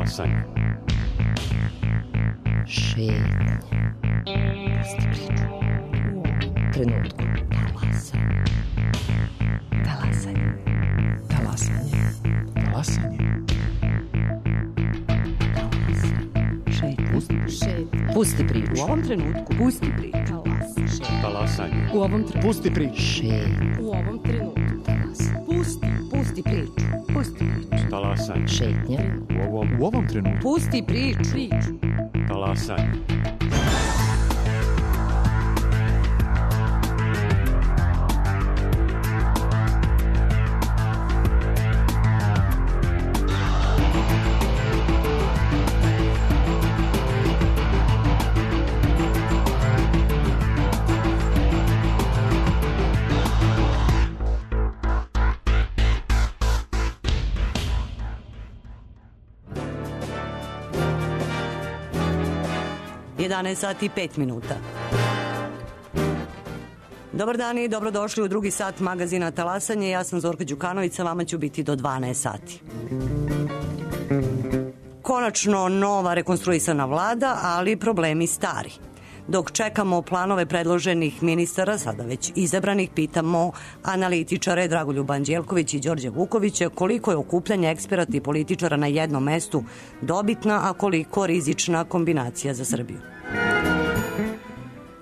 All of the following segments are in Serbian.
Talasanje. Šetnje. Pusti priču. Trenutku. Talasanje. Talasanje. Talasanje. Talasanje. Šetnje. Pusti priču. U ovom trenutku. Pusti priču. Talasanje. U ovom trenutku. Pusti priču. Šetnje. U ovom trenutku. Pusti priču. Pusti priču. Talasanje. Šetnje. U ovom trenutku. Pusti priču. Talasanje. Sati i 5 minuta. Dobar dan i dobrodošli u drugi sat magazina Talasanje. Ja sam Zorka Đukanović, sa vama ću biti do 12 sati. Konačno nova rekonstruisana vlada, ali problemi stari. Dok čekamo planove predloženih ministara, sada već izabranih, pitamo analitičare Dragoljuba Anđelković i Đorđa Vukovića koliko je okupljanje eksperata i političara na jednom mestu dobitna, a koliko rizična kombinacija za Srbiju.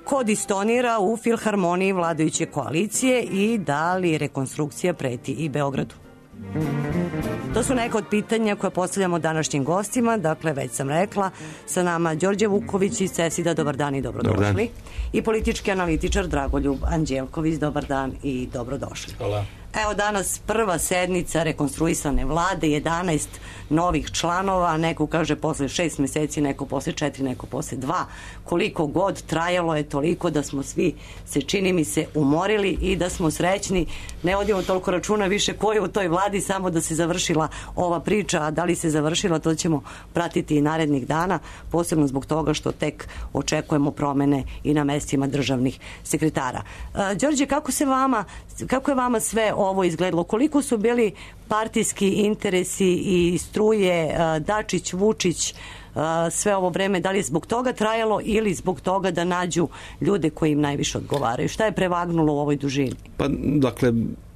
Ko distonira u filharmoniji vladajuće koalicije i da li rekonstrukcija preti i Beogradu? To su neka od pitanja koje postavljamo današnjim gostima. Dakle, već sam rekla, sa nama Đorđe Vuković iz CESID-a. Dobar dan i dobrodošli. Dobar dan. I politički analitičar Dragoljub Anđelković. Dobar dan i dobrodošli. Hvala. Evo danas prva sednica rekonstruisane vlade, 11 novih članova, neko kaže posle 6 meseci, neko posle 4, neko posle 2. Koliko god trajalo je toliko da smo svi se, čini mi se, umorili i da smo srećni. Ne vodimo toliko računa više ko je u toj vladi, samo da se završila ova priča, a da li se završila, to ćemo pratiti i narednih dana, posebno zbog toga što tek očekujemo promene i na mestima državnih sekretara. Đorđe, kako je vama sve ovo izgledalo? Koliko su bili partijski interesi i struje Dačić, Vučić, sve ovo vreme, da li je zbog toga trajalo ili zbog toga da nađu ljude koji im najviše odgovaraju? Šta je prevagnulo u ovoj dužini? Pa, dakle,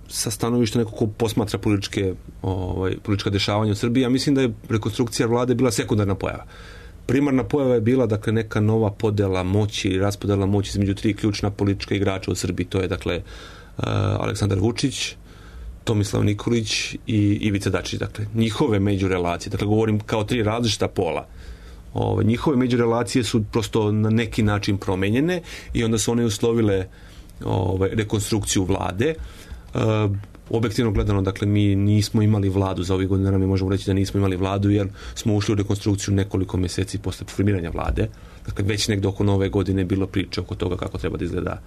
sa stanovišta neko ko posmatra politička dešavanja u Srbiji, ja mislim da je rekonstrukcija vlade bila sekundarna pojava. Primarna pojava je bila, dakle, neka nova podela moći, raspodela moći između 3 ključna politička igrača u Srbiji. To je, dakle, Aleksandar Vučić, Tomislav Nikolić i Ivica Dačić. Dakle, njihove međurelacije, dakle, govorim kao 3 različita pola. Njihove međurelacije su prosto na neki način promenjene i onda su one uslovile rekonstrukciju vlade. Objektivno gledano, dakle, mi nismo imali vladu za ovih godina, mi možemo reći da nismo imali vladu jer smo ušli u rekonstrukciju nekoliko meseci posle formiranja vlade. Dakle, već negdje oko nove godine bilo priče oko toga kako treba da izgleda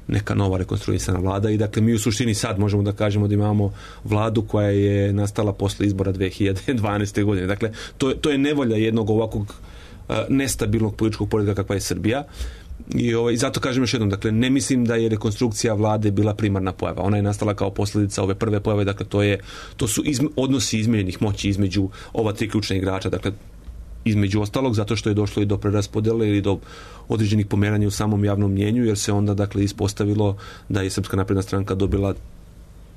neka nova rekonstruisana vlada i dakle mi u suštini sad možemo da kažemo da imamo vladu koja je nastala posle izbora 2012. godine. Dakle, to je nevolja jednog ovakvog nestabilnog političkog poretka kakva je Srbija. I zato kažem još jednom, dakle, ne mislim da je rekonstrukcija vlade bila primarna pojava. Ona je nastala kao posljedica ove prve pojave, dakle, to su odnosi izmenjenih moći između ova 3 ključna igrača, dakle, između ostalog, zato što je došlo i do preraspodele ili do određenih pomeranja u samom javnom mnjenju, jer se onda, dakle, ispostavilo da je Srpska napredna stranka dobila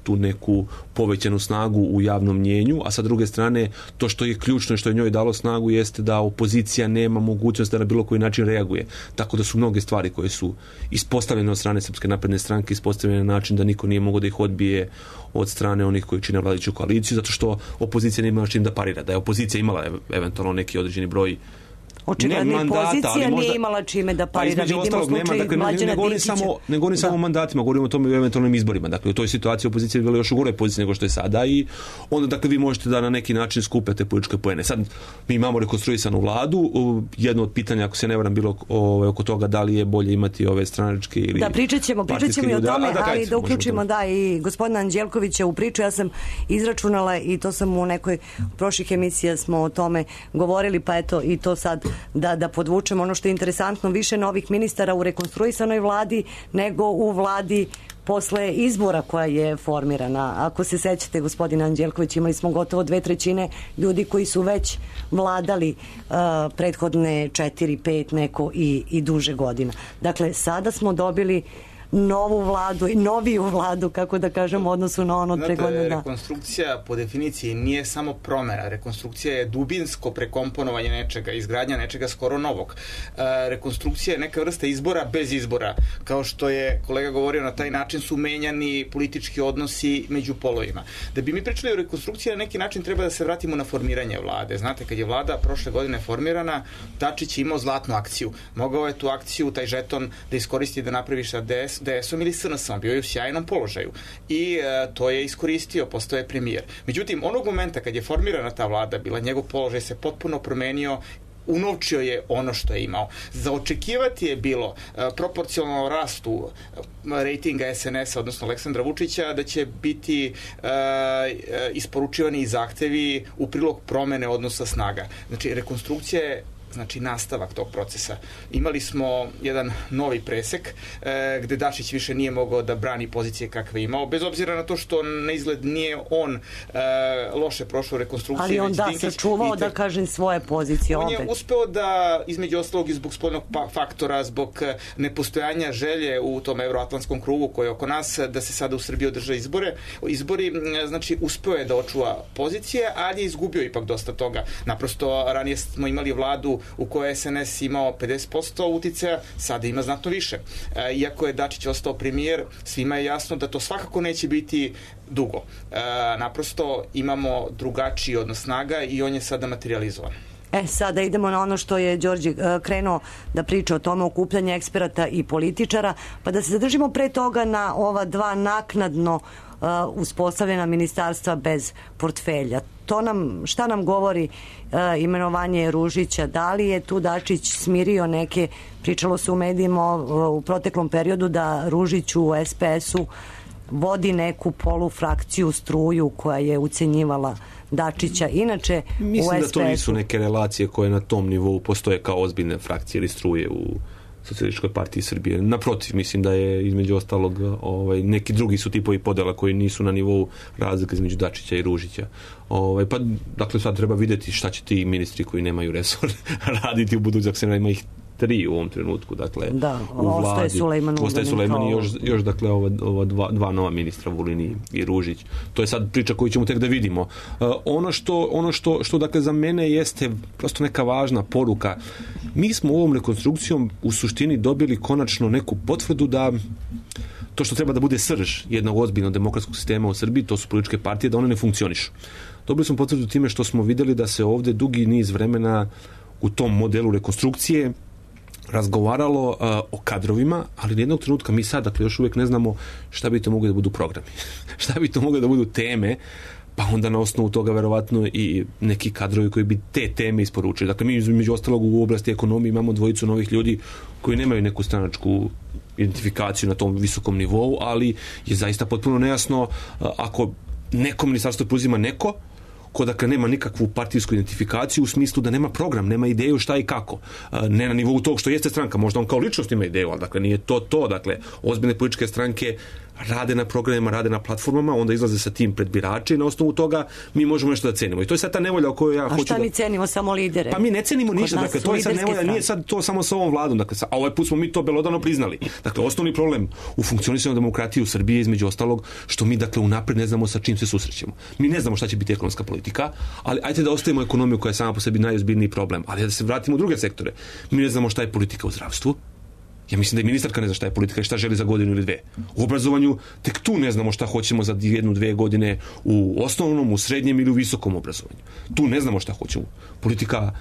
tu neku povećanu snagu u javnom mnjenju, a sa druge strane to što je ključno i što je njoj dalo snagu jeste da opozicija nema mogućnost da na bilo koji način reaguje. Tako da su mnoge stvari koje su ispostavljene od strane Srpske napredne stranke ispostavljene na način da niko nije mogao da ih odbije od strane onih koji čine vladajuću koaliciju, zato što opozicija nije imala čim da parira. Da je opozicija imala eventualno neki određeni broj očigledno i pozicija nije imala čime da parira. Vidimo slučaj Mlađana Dinkića. Ne govorim samo o mandatima, govorimo o tome i o eventualnim izborima. Dakle, u toj situaciji opozicija je bila još u goroj poziciji nego što je sada i onda, dakle, vi možete da na neki način skupete političke poene. Sad mi imamo rekonstruisanu vladu. Jedno od pitanja, ako se ne varam, bilo oko toga da li je bolje imati ove stranačke ili da, pričat ćemo i o tome, ali da uključimo i gospodina Anđelkovića u priču. Ja sam izračunala i to sam u nekoj prošlih emisija smo o tome govorili, pa eto i to sad da podvučemo ono što je interesantno, više novih ministara u rekonstruisanoj vladi nego u vladi posle izbora koja je formirana. Ako se sećate, gospodine Anđelković, imali smo gotovo 2/3 ljudi koji su već vladali prethodne 4-5 neko i duže godina. Dakle, sada smo dobili novu vladu i noviju vladu, kako da kažem, u odnosu na ono pre godina. Rekonstrukcija po definiciji nije samo promena. Rekonstrukcija je dubinsko prekomponovanje nečega, izgradnja nečega skoro novog. Rekonstrukcija je neka vrsta izbora bez izbora. Kao što je kolega govorio, na taj način su menjani politički odnosi među polovima. Da bi mi pričali o rekonstrukciji, na neki način treba da se vratimo na formiranje vlade. Znate, kad je vlada prošle godine formirana, Dačić je imao zlatnu akciju. Mogao je tu akciju, taj žeton, da iskoristi da napravi sa DS-om ili SNS-om, bio je u sjajnom položaju i to je iskoristio, postao je premijer. Međutim, onog momenta kad je formirana ta vlada bila, njegov položaj se potpuno promenio, unovčio je ono što je imao. Za očekivati je bilo proporcionalno rastu rejtinga SNS-a, odnosno Aleksandra Vučića, da će biti isporučivani zahtevi u prilog promene odnosa snaga. Znači, rekonstrukcija je nastavak tog procesa. Imali smo jedan novi presek gde Dačić više nije mogao da brani pozicije kakve imao, bez obzira na to što na izgled nije on loše prošao rekonstrukciju. Ali on sačuvao, da kažem, svoje pozicije. On je uspeo da, između ostalog i zbog spoljnog faktora, zbog nepostojanja želje u tom euroatlantskom krugu koji je oko nas, da se sada u Srbiji održe izbori, znači uspeo je da očuva pozicije, ali je izgubio ipak dosta toga. Naprosto, ranije smo imali vladu u kojoj je SNS imao 50% uticaja, sada ima znatno više. Iako je Dačić ostao premijer, svima je jasno da to svakako neće biti dugo. Naprosto imamo drugačiji odnos snaga i on je sada materializovan. Sada idemo na ono što je Đorđe krenuo da priča o tome, okupljanje eksperata i političara, pa da se zadržimo pre toga na ova dva naknadno uspostavljena ministarstva bez portfelja. Šta nam govori imenovanje Ružića? Da li je tu Dačić smirio neke, pričalo se u medijima u proteklom periodu da Ružić u SPS-u vodi neku polufrakciju, struju koja je ucenjivala Dačića. Inače, mislim da to nisu neke relacije koje na tom nivou postoje kao ozbiljne frakcije ili struje u Socijalističkoj partiji Srbije. Naprotiv, mislim da je između ostalog neki drugi su tipovi podela koji nisu na nivou razlike između Dačića i Ružića. Pa, dakle, sad treba vidjeti šta će ti ministri koji nemaju resor raditi u budućnosti. Ima ih 3 u ovom trenutku, dakle, u vladi. Ostaje Sulejman i još dakle, ova dva nova ministra, Vulin i Ružić. To je sad priča koju ćemo tek da vidimo. Ono što dakle, za mene jeste prosto neka važna poruka. Mi smo ovom rekonstrukcijom u suštini dobili konačno neku potvrdu da to što treba da bude srž jednog ozbiljnog demokratskog sistema u Srbiji, to su političke partije, da one ne funkcionišu. Dobili smo potvrdu time što smo videli da se ovde dugi niz vremena u tom modelu rekonstrukcije razgovaralo o kadrovima, ali nijednog trenutka mi sad, dakle, još uvijek ne znamo šta bi to mogli da budu programi. Šta bi to mogli da budu teme, pa onda na osnovu toga verovatno i neki kadrovi koji bi te teme isporučili. Dakle, mi između ostalog u oblasti ekonomije imamo dvojicu novih ljudi koji nemaju neku stranačku identifikaciju na tom visokom nivou, ali je zaista potpuno nejasno ako neko ministarstvo preuzima neko ko dakle nema nikakvu partijsku identifikaciju u smislu da nema program, nema ideju šta i kako. Ne na nivou tog što jeste stranka, možda on kao ličnost ima ideju, ali dakle nije to. Dakle, ozbiljne političke stranke rade na programima, rade na platformama, onda izlaze sa tim pred birače i na osnovu toga mi možemo nešto da cenimo. I to je sad ta nevolja o kojoj ja hoću da... A šta mi cenimo? Samo lidere? Pa mi ne cenimo ništa, dakle to je sad nevolja, nije sad to samo sa ovom vladom, dakle, a ovaj put smo mi to belodano priznali. Dakle, osnovni problem u funkcionisanju demokratije u Srbiji je između ostalog što mi dakle unapred ne znamo sa čim se susrećemo. Mi ne znamo šta će biti ekonomska politika, ali ajde da ostavimo ekonomiju koja je sama po sebi najozbiljniji problem, ali da se vratimo u druge sektore. Mi ne znamo šta je politika u zdravstvu. Ja mislim da i ministarka ne zna šta je politika i šta želi za godinu ili dve. U obrazovanju tek tu ne znamo šta hoćemo za 1-2 godine u osnovnom, u srednjem ili u visokom obrazovanju. Tu ne znamo šta hoćemo. Politika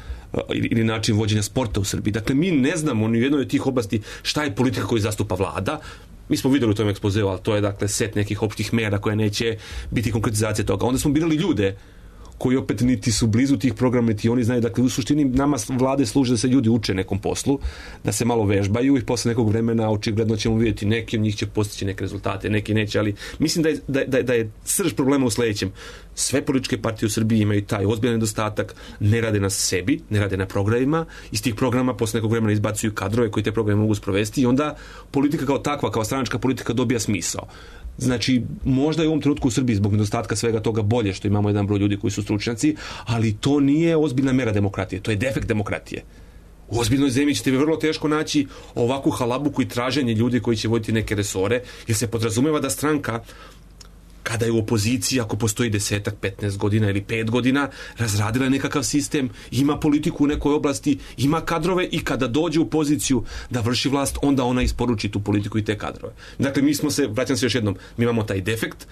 ili način vođenja sporta u Srbiji. Dakle, mi ne znamo ni u jednoj od tih oblasti šta je politika koju zastupa vlada. Mi smo videli u tom ekspozeu, ali to je dakle set nekih opštih mera koje neće biti konkretizacija toga. Onda smo birali ljude koji opet niti su blizu tih programa, niti oni znaju. Dakle, u suštini nama vlade služe da se ljudi uče nekom poslu, da se malo vežbaju i posle nekog vremena očigledno ćemo vidjeti neki od njih će postići neke rezultate, neki neće, ali mislim da je srž problema u sledećem. Sve političke partije u Srbiji imaju taj ozbiljan nedostatak, ne rade na sebi, ne rade na programima, iz tih programa posle nekog vremena izbacuju kadrove koji te programe mogu sprovesti i onda politika kao takva, kao stranačka politika dobija smisao. Znači, možda je u ovom trenutku u Srbiji zbog nedostatka svega toga bolje što imamo jedan broj ljudi koji su stručnjaci, ali to nije ozbiljna mera demokratije, to je defekt demokratije. U ozbiljnoj zemlji ćete vi vrlo teško naći ovakvu halabuku i traženje ljudi koji će voditi neke resore, jer se podrazumeva da stranka kada je u opoziciji, ako postoji 10, 15 godina ili 5 godina, razradila je nekakav sistem, ima politiku u nekoj oblasti, ima kadrove i kada dođe u poziciju da vrši vlast, onda ona isporuči tu politiku i te kadrove. Dakle, vraćam se još jednom, mi imamo taj defekt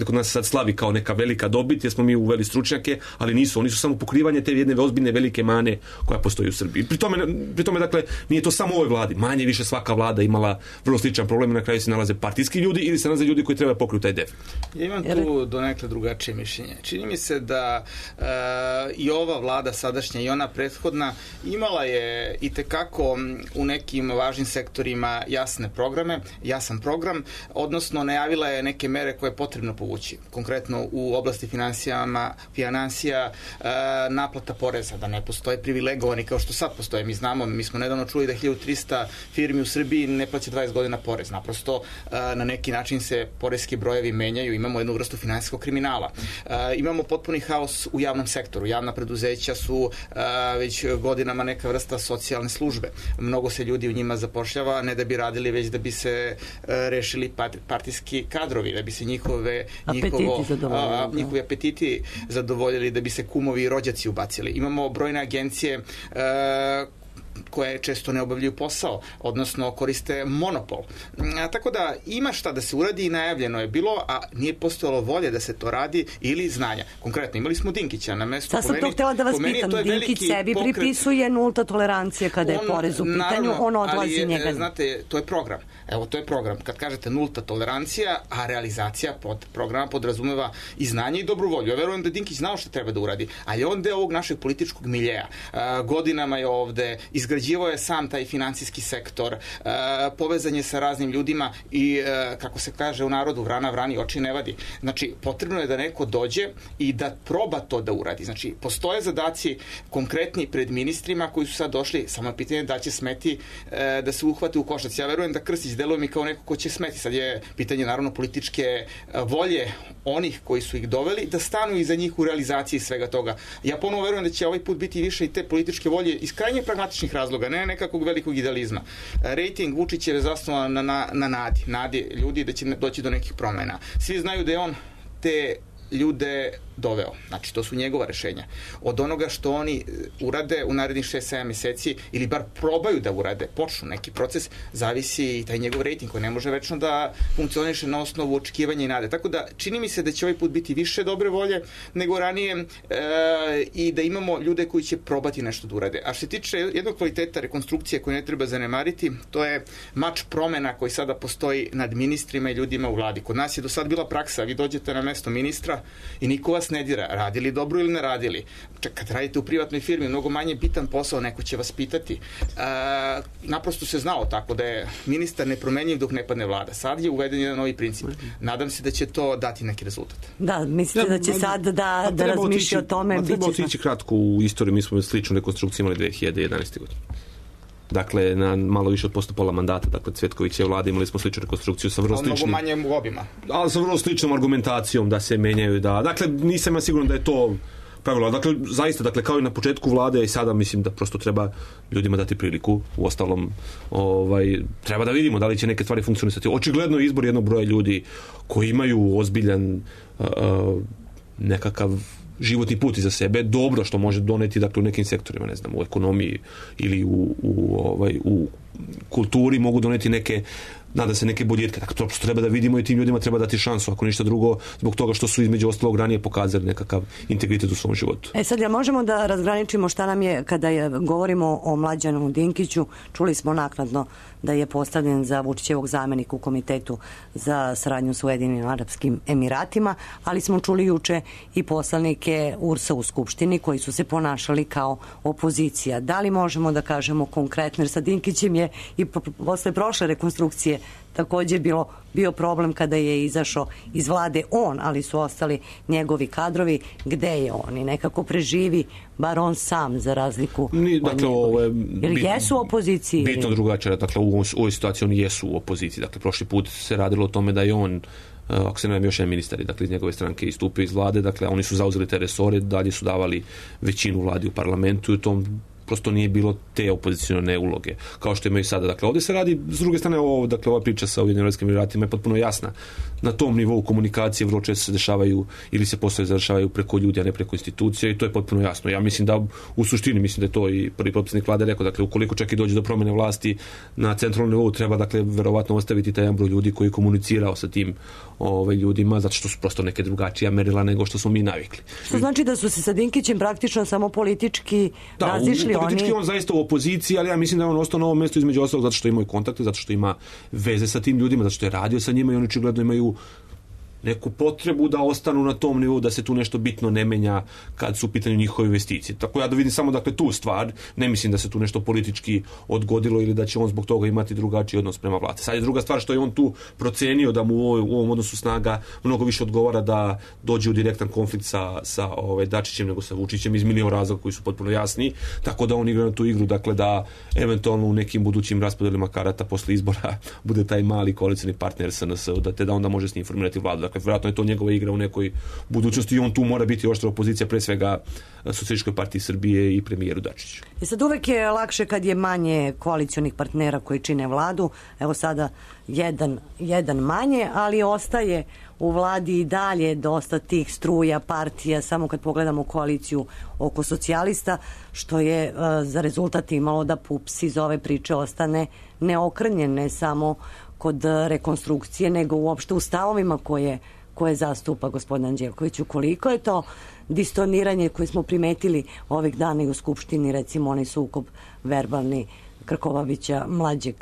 kod nas sad slavi kao neka velika dobit, jer smo mi uveli stručnjake, ali nisu, oni su samo pokrivanje te jedne ozbiljne velike mane koja postoji u Srbiji. Pri tome, dakle, nije to samo u ovoj vladi, manje više svaka vlada imala vrlo sličan problem, na kraju se nalaze partijski ljudi ili se nalaze ljudi koji treba pokriti taj defekt. Ja imam tu donekle drugačije mišljenje. Čini mi se da i ova vlada sadašnja i ona prethodna imala je itekako u nekim važnim sektorima jasan program, odnosno najavila je neke mere koje je potrebno povući. Konkretno u oblasti finansija, naplata poreza, da ne postoje privilegovani kao što sad postoje. Mi znamo, mi smo nedavno čuli da 1300 firmi u Srbiji ne plaća 20 godina porez. Naprosto na neki način se poreski brojevi menjaju, imamo jednu vrstu finansijskog kriminala. Imamo potpuni haos u javnom sektoru. Javna preduzeća su već godinama neka vrsta socijalne službe. Mnogo se ljudi u njima zapošljava, ne da bi radili, već da bi se rešili partijski kadrovi, da bi se njihovi apetiti zadovoljili, da bi se kumovi i rođaci ubacili. Imamo brojne agencije koje često ne obavljaju posao, odnosno koriste monopol. Tako da ima šta da se uradi i najavljeno je bilo, a nije postojalo volje da se to radi ili znanja. Konkretno, imali smo Dinkića na mestu. Sad sam to htjela da vas pitam. Dinkić sebi pripisuje nulta tolerancija kada je porez u pitanju, on odlazi njega. Znate, to je program. Evo, to je program. Kad kažete nulta tolerancija, a realizacija programa podrazumeva i znanje i dobru volju. Ja verujem da Dinkić znao što treba da uradi, ali on deo ovog našeg političkog miljeja. Godinama je ovde, izgrađivao je sam taj finansijski sektor, povezan je sa raznim ljudima i, kako se kaže u narodu, vrana vrani oči ne vadi. Znači, potrebno je da neko dođe i da proba to da uradi. Znači, postoje zadaci konkretni pred ministrima koji su sad došli, samo je pitanje da će smeti da se uhvate u koštac. Ja verujem da Krstić deluje mi kao neko ko će smeti. Sad je pitanje, naravno, političke volje onih koji su ih doveli da stanu iza njih u realizaciji svega toga. Ja ponovo verujem da će ovaj put biti više i te političke volje iz krajnje pragmatičnih razloga, ne nekakvog velikog idealizma. Rating Vučić je zasnovan na nadi ljudi da će doći do nekih promena. Svi znaju da je on te ljude doveo. Znači, to su njegova rešenja. Od onoga što oni urade u narednih 6-7 meseci ili bar probaju da urade, počnu neki proces, zavisi i taj njegov rejting koji ne može večno da funkcioniše na osnovu očekivanja i nade. Tako da, čini mi se da će ovaj put biti više dobre volje nego ranije i da imamo ljude koji će probati nešto da urade. A što se tiče jednog kvaliteta rekonstrukcije koju ne treba zanemariti, to je mač promena koji sada postoji nad ministrima i ljudima u vladi. Kod nas je do sad bila praksa, vi dođete na mesto ministra i niko vas ne dira, radili dobro ili ne radili. Kad radite u privatnoj firmi, mnogo manje bitan posao, neko će vas pitati. Naprosto se znao tako da je ministar nepromenjiv dok ne padne vlada. Sad je uveden jedan novi princip. Nadam se da će to dati neki rezultat. Da, mislite da će sad da razmišlja o tome? Treba otići kratko u istoriju. Mi smo sličnu rekonstrukciju imali 2011. godine. Dakle, na malo više od pola mandata, dakle, Cvetković je vlada, imali smo sličnu rekonstrukciju sa vrlo sličnim... Mnogo manje obima. Ali sa vrlo sličnom argumentacijom da se menjaju, dakle, nisam ja siguran da je to pravilo. Dakle, zaista, dakle, kao i na početku vlade i sada mislim da prosto treba ljudima dati priliku. U ostalom, treba da vidimo da li će neke stvari funkcionisati. Očigledno je izbor jednog broja ljudi koji imaju ozbiljan nekakav životni put iza sebe, dobro što može doneti, dakle, u nekim sektorima, ne znam, u ekonomiji ili u kulturi mogu doneti nada se neke boljitke. Dakle, to treba da vidimo i tim ljudima treba dati šansu, ako ništa drugo, zbog toga što su između ostalog ranije pokazali nekakav integritet u svom životu. Sad, ja možemo da razgraničimo šta nam je, kada govorimo o Mlađanu Dinkiću, čuli smo naknadno da je postavljen za Vučićevog zamenika u Komitetu za saradnju s Ujedinjenim Arapskim Emiratima, ali smo čuli juče i poslanike URS-a u Skupštini koji su se ponašali kao opozicija. Da li možemo da kažemo konkretno, jer sa Dinkićem je i posle prošle rekonstrukcije također bio problem kada je izašao iz vlade on, ali su ostali njegovi kadrovi. Gde je on? I nekako preživi, bar on sam, za razliku od njegovih. Jer jesu u opoziciji? Bitno drugačije. Dakle, u ovoj situaciji oni jesu u opoziciji. Dakle, prošli put se radilo o tome da je on, ako se ne još jedan ministar, dakle, iz njegove stranke istupio iz vlade. Dakle, oni su zauzeli te resore, dalje su davali većinu vladi u parlamentu i u tom prosto nije bilo te opozicione uloge, kao što imaju sada. Dakle, ovdje se radi, s druge strane, dakle, ova priča sa Ujedinjenim Arapskim Emiratima je potpuno jasna. Na tom nivou komunikacije vrlo često se dešavaju ili se poslovi završavaju preko ljudi, a ne preko institucija i to je potpuno jasno. Ja mislim da, u suštini, mislim da je to i prvi potpredsjednik vlade rekao, dakle, ukoliko čak i dođe do promjene vlasti na centralnom nivou, treba, dakle, verovatno ostaviti taj broj ljudi koji je komunicirao sa tim ljudima, zato što su prosto neke drugačija merila nego što smo mi navikli. Što znači da su se sa Dinkićem praktično samo politički razišli oni? Politički on zaista u opoziciji, ali ja mislim da je on ostao na ovom mjestu između ostalog zato što imaju kontakte, zato što ima veze sa tim ljudima, zato što je radio sa njima i oni očigledno imaju neku potrebu da ostanu na tom nivou, da se tu nešto bitno ne menja kad su u pitanju njihove investicije. Tako ja da vidim samo, dakle, tu stvar, ne mislim da se tu nešto politički odgodilo ili da će on zbog toga imati drugačiji odnos prema vlasti. Sad je druga stvar što je on tu procenio da mu u ovom odnosu snaga mnogo više odgovara da dođe u direktan konflikt sa Dačićem nego sa Vučićem iz milion razloga koji su potpuno jasni, tako da on igra na tu igru, dakle, da eventualno u nekim budućim raspodelima karata posle izbora bude taj mali koalicioni partner SNS, te da onda može s njim formirati vladu. Dakle, vjerojatno je to njegova igra u nekoj budućnosti i on tu mora biti oštra opozicija, pre svega Socijalističkoj partiji Srbije i premijeru Dačiću. I sad uvek je lakše kad je manje koalicionih partnera koji čine vladu. Evo sada jedan manje, ali ostaje u vladi i dalje dosta tih struja, partija, samo kad pogledamo koaliciju oko socijalista, što je za rezultat imalo da PUPS iz ove priče ostane neokrnjen, ne samo kod rekonstrukcije, nego uopšte u stavovima koje zastupa gospodin Anđelković. Koliko je to distoniranje koje smo primetili ovih dana i u Skupštini, recimo onaj sukob verbalni Krkobabića mlađeg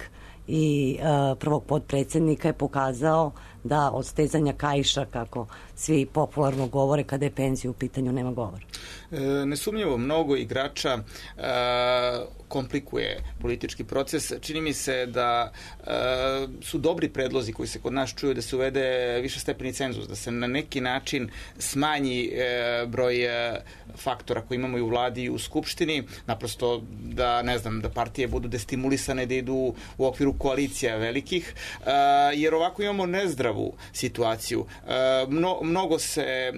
i prvog potpredsjednika je pokazao da od stezanja kaiša, kako svi popularno govore kada je penzija u pitanju, nema govora. Nesumnjivo mnogo igrača komplikuje politički proces. Čini mi se da su dobri predlozi koji se kod nas čuju da se uvede višestepeni cenzus, da se na neki način smanji broj faktora koji imamo i u vladi i u skupštini, naprosto da, ne znam, da partije budu destimulisane da idu u okviru koalicija velikih, jer ovako imamo nezdravu situaciju. Mnogo se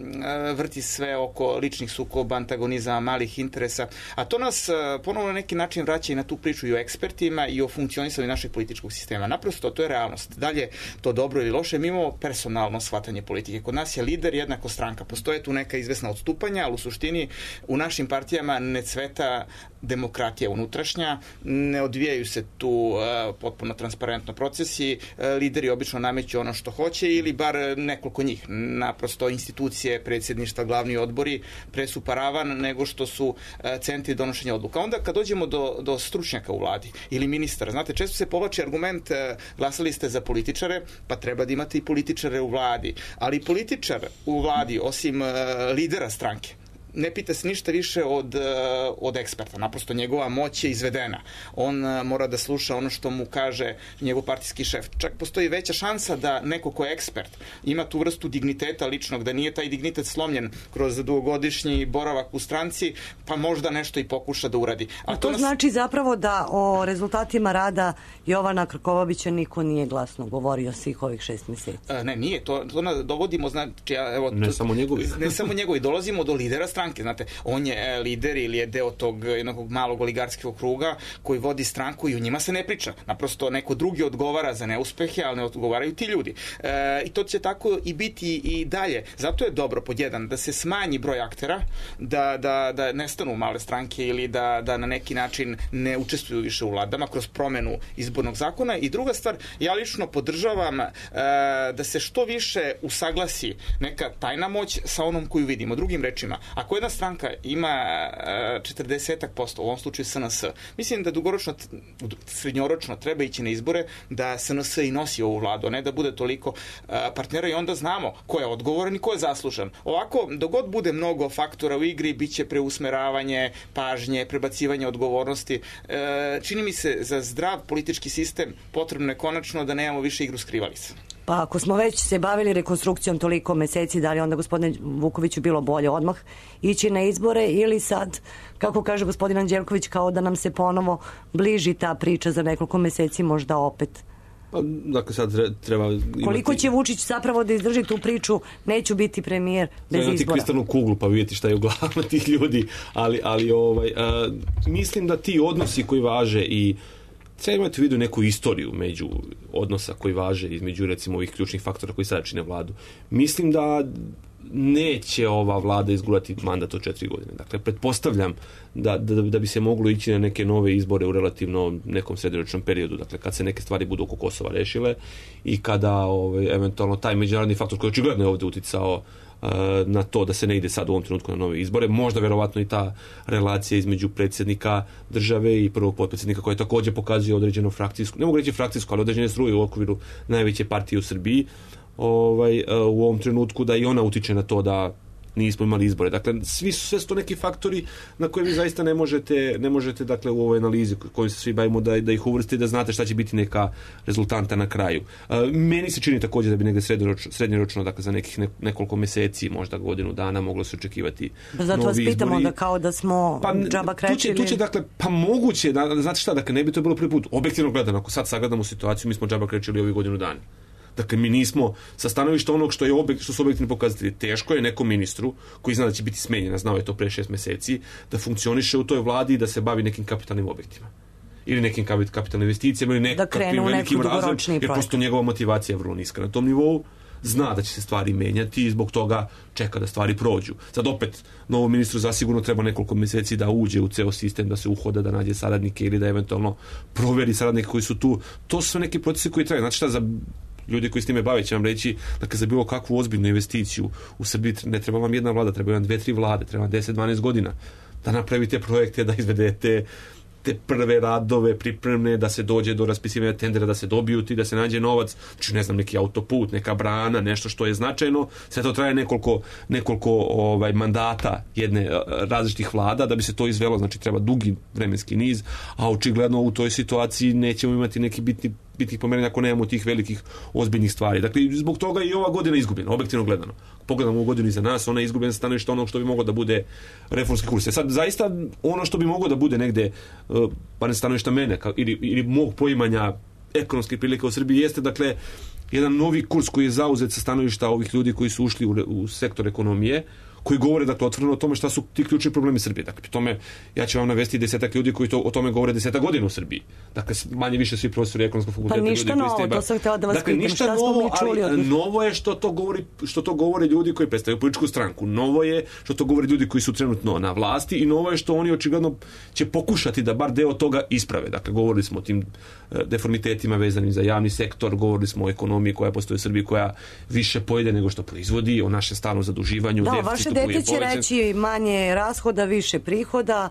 vrti sve oko ličnih sukoba, antagonizama, malih interesa, a to nas ponovno na neki način vraća i na tu priču i o ekspertima i o funkcionisanju našeg političkog sistema. Naprosto, to je realnost. Dalje, to dobro ili loše, mi imamo personalno shvatanje politike. Kod nas je lider jednako stranka. Postoje tu neka izvesna odstupanja, ali u suštini u našim partijama ne cveta demokratija unutrašnja, ne odvijaju se tu potpuno transparentno procesi, lideri obično nameću ono što hoće ili bar nekoliko njih. Naprosto institucije, predsjedništva, glavni odbori presu paravan nego što su centri donošenja odluka. Onda kad dođemo do stručnjaka u vladi ili ministara, znate, često se povlači argument glasali ste za političare, pa treba da imate i političare u vladi. Ali političar u vladi, osim lidera stranke, ne pita se ništa više od eksperta. Naprosto njegova moć je izvedena. On mora da sluša ono što mu kaže njegov partijski šef. Čak postoji veća šansa da neko ko je ekspert ima tu vrstu digniteta ličnog, da nije taj dignitet slomljen kroz dugogodišnji boravak u stranci, pa možda nešto i pokuša da uradi. A to znači zapravo da o rezultatima rada Jovana Krkobabića niko nije glasno govorio svih ovih 6 mjeseci. Ne, nije. To dovodimo, znači, ne samo njegovi. Ne samo njegovi. Dolazimo do lidera stranke. stranke, znate, on je lider ili je deo tog jednog malog oligarskog kruga koji vodi stranku i o njima se ne priča. Naprosto neko drugi odgovara za neuspehe, ali ne odgovaraju ti ljudi. I to će tako i biti i dalje. Zato je dobro, pod jedan, da se smanji broj aktera, da nestanu male stranke ili da na neki način ne učestvuju više u vladama kroz promenu izbornog zakona. I druga stvar, ja lično podržavam da se što više usaglasi neka tajna moć sa onom koju vidimo. Drugim rečima, ako jedna stranka ima 40%, u ovom slučaju SNS, mislim da srednjoročno treba ići na izbore da SNS i nosi ovu vladu, a ne da bude toliko partnera i onda znamo ko je odgovoran i ko je zaslužan. Ovako, dok god bude mnogo faktora u igri, bit će preusmeravanje pažnje, prebacivanje odgovornosti. Čini mi se za zdrav politički sistem potrebno je konačno da nemamo više igru skrivalica. Pa ako smo već se bavili rekonstrukcijom toliko meseci, da li onda, gospodine Vukoviću, bilo bolje odmah ići na izbore ili sad, kako kaže gospodin Anđelković, kao da nam se ponovo bliži ta priča za nekoliko meseci možda opet? Pa, dakle, sad treba imati... Koliko će Vučić zapravo da izdrži tu priču, neću biti premijer bez izbora? Imati kristalnu kuglu pa vidjeti šta je u glavama tih ljudi, ali mislim da ti odnosi koji važe i treba imati u vidu neku istoriju među odnosa koji važe između, recimo, ovih ključnih faktora koji sada čine vladu. Mislim da neće ova vlada izgurati mandat od 4 godine. Dakle, pretpostavljam da bi se moglo ići na neke nove izbore u relativno nekom srednjoročnom periodu, dakle, kad se neke stvari budu oko Kosova rešile i kada eventualno taj međunarodni faktor koji očigledno je ovdje uticao na to da se ne ide sad u ovom trenutku na nove izbore, možda verovatno i ta relacija između predsjednika države i prvog potpredsjednika koja također pokazuje određenu frakcijsku, ne mogu reći frakcijsku, ali određene struje u okviru najveće partije u Srbiji, u ovom trenutku, da i ona utiče na to da nismo imali izbore. Dakle, sve su to neki faktori na koje vi zaista ne možete dakle, u ovoj analizi kojom se svi bavimo da ih uvrstite, da znate šta će biti neka rezultanta na kraju. Meni se čini također da bi negde srednjoročno, dakle za nekih nekoliko meseci, možda godinu dana, moglo se očekivati novi izbori. Zato vas pitamo da kao da smo džaba krečili. Tu će, dakle, pa moguće, znate šta, dakle, ne bi to bilo prvi put. Objektivno gledano, ako sad sagledamo situaciju, mi smo džaba krečili ovih godinu dana. Dakle, mi nismo sa stanovišta onog što su objektivni pokazatelji. Teško je nekom ministru koji zna da će biti smenjen, znao je to pre 6 meseci, da funkcioniše u toj vladi i da se bavi nekim kapitalnim objektima. Ili nekim kapitalnim investicijama ili nekakvim velikim razvojem, jer prosto njegova motivacija je vrlo niska na tom nivou. Zna da će se stvari menjati i zbog toga čeka da stvari prođu. Sad opet, novom ministru zasigurno treba nekoliko meseci da uđe u ceo sistem, da se uhoda, da nađe saradnike ili da eventualno proveri saradnike koji su tu. To su neki procesi koji traju. Znači šta, za ljudi koji s time bave će vam reći, dakle, za bilo kakvu ozbiljnu investiciju u Srbiji ne treba vam jedna vlada, treba vam 2-3 vlade, treba vam 10-12 godina da napravite projekte, da izvedete te prve radove pripremne, da se dođe do raspisivanja tendera, da se dobiju ti, da se nađe novac, znači ne znam, neki autoput, neka brana, nešto što je značajno. Sve to traje nekoliko mandata jedne različitih vlada da bi se to izvelo, znači treba dugi vremenski niz, a očigledno u toj situaciji nećemo imati neki bitnih pomerenja ako nemamo tih velikih ozbiljnih stvari. Dakle, zbog toga i ova godina izgubljena, objektivno gledano. Pogledamo ovu godinu iza nas, ona je izgubljena sa stanovišta onog što bi moglo da bude reformski kurs. Sad, zaista, ono što bi moglo da bude negde, pa ne stanovišta mene, ili mog poimanja ekonomske prilike u Srbiji, jeste, dakle, jedan novi kurs koji je zauzet sa stanovišta ovih ljudi koji su ušli u sektor ekonomije, koji govore, dakle, otvoreno o tome šta su ti ključni problemi Srbije. Dakle, pri tome, ja ću vam navesti 10 ljudi koji o tome govore 10 godina u Srbiji. Dakle, manje više svi profesori ekonomskog fakulteta. Pa ništa novo, to sam htjela da vas pitam. Ništa novo, ali novo je što to govore ljudi koji predstavljaju političku stranku. Novo je što to govore ljudi koji su trenutno na vlasti i novo je što oni očigledno će pokušati da bar deo toga isprave. Dakle, govorili smo o tim deformitetima vezanim za javni sektor, govorili smo o ekonomiji koja postoji u Srbiji, koja više pojede nego što proizvodi, o našem stalnom zaduživanju, deficitu. Dete će reći manje rashoda, više prihoda.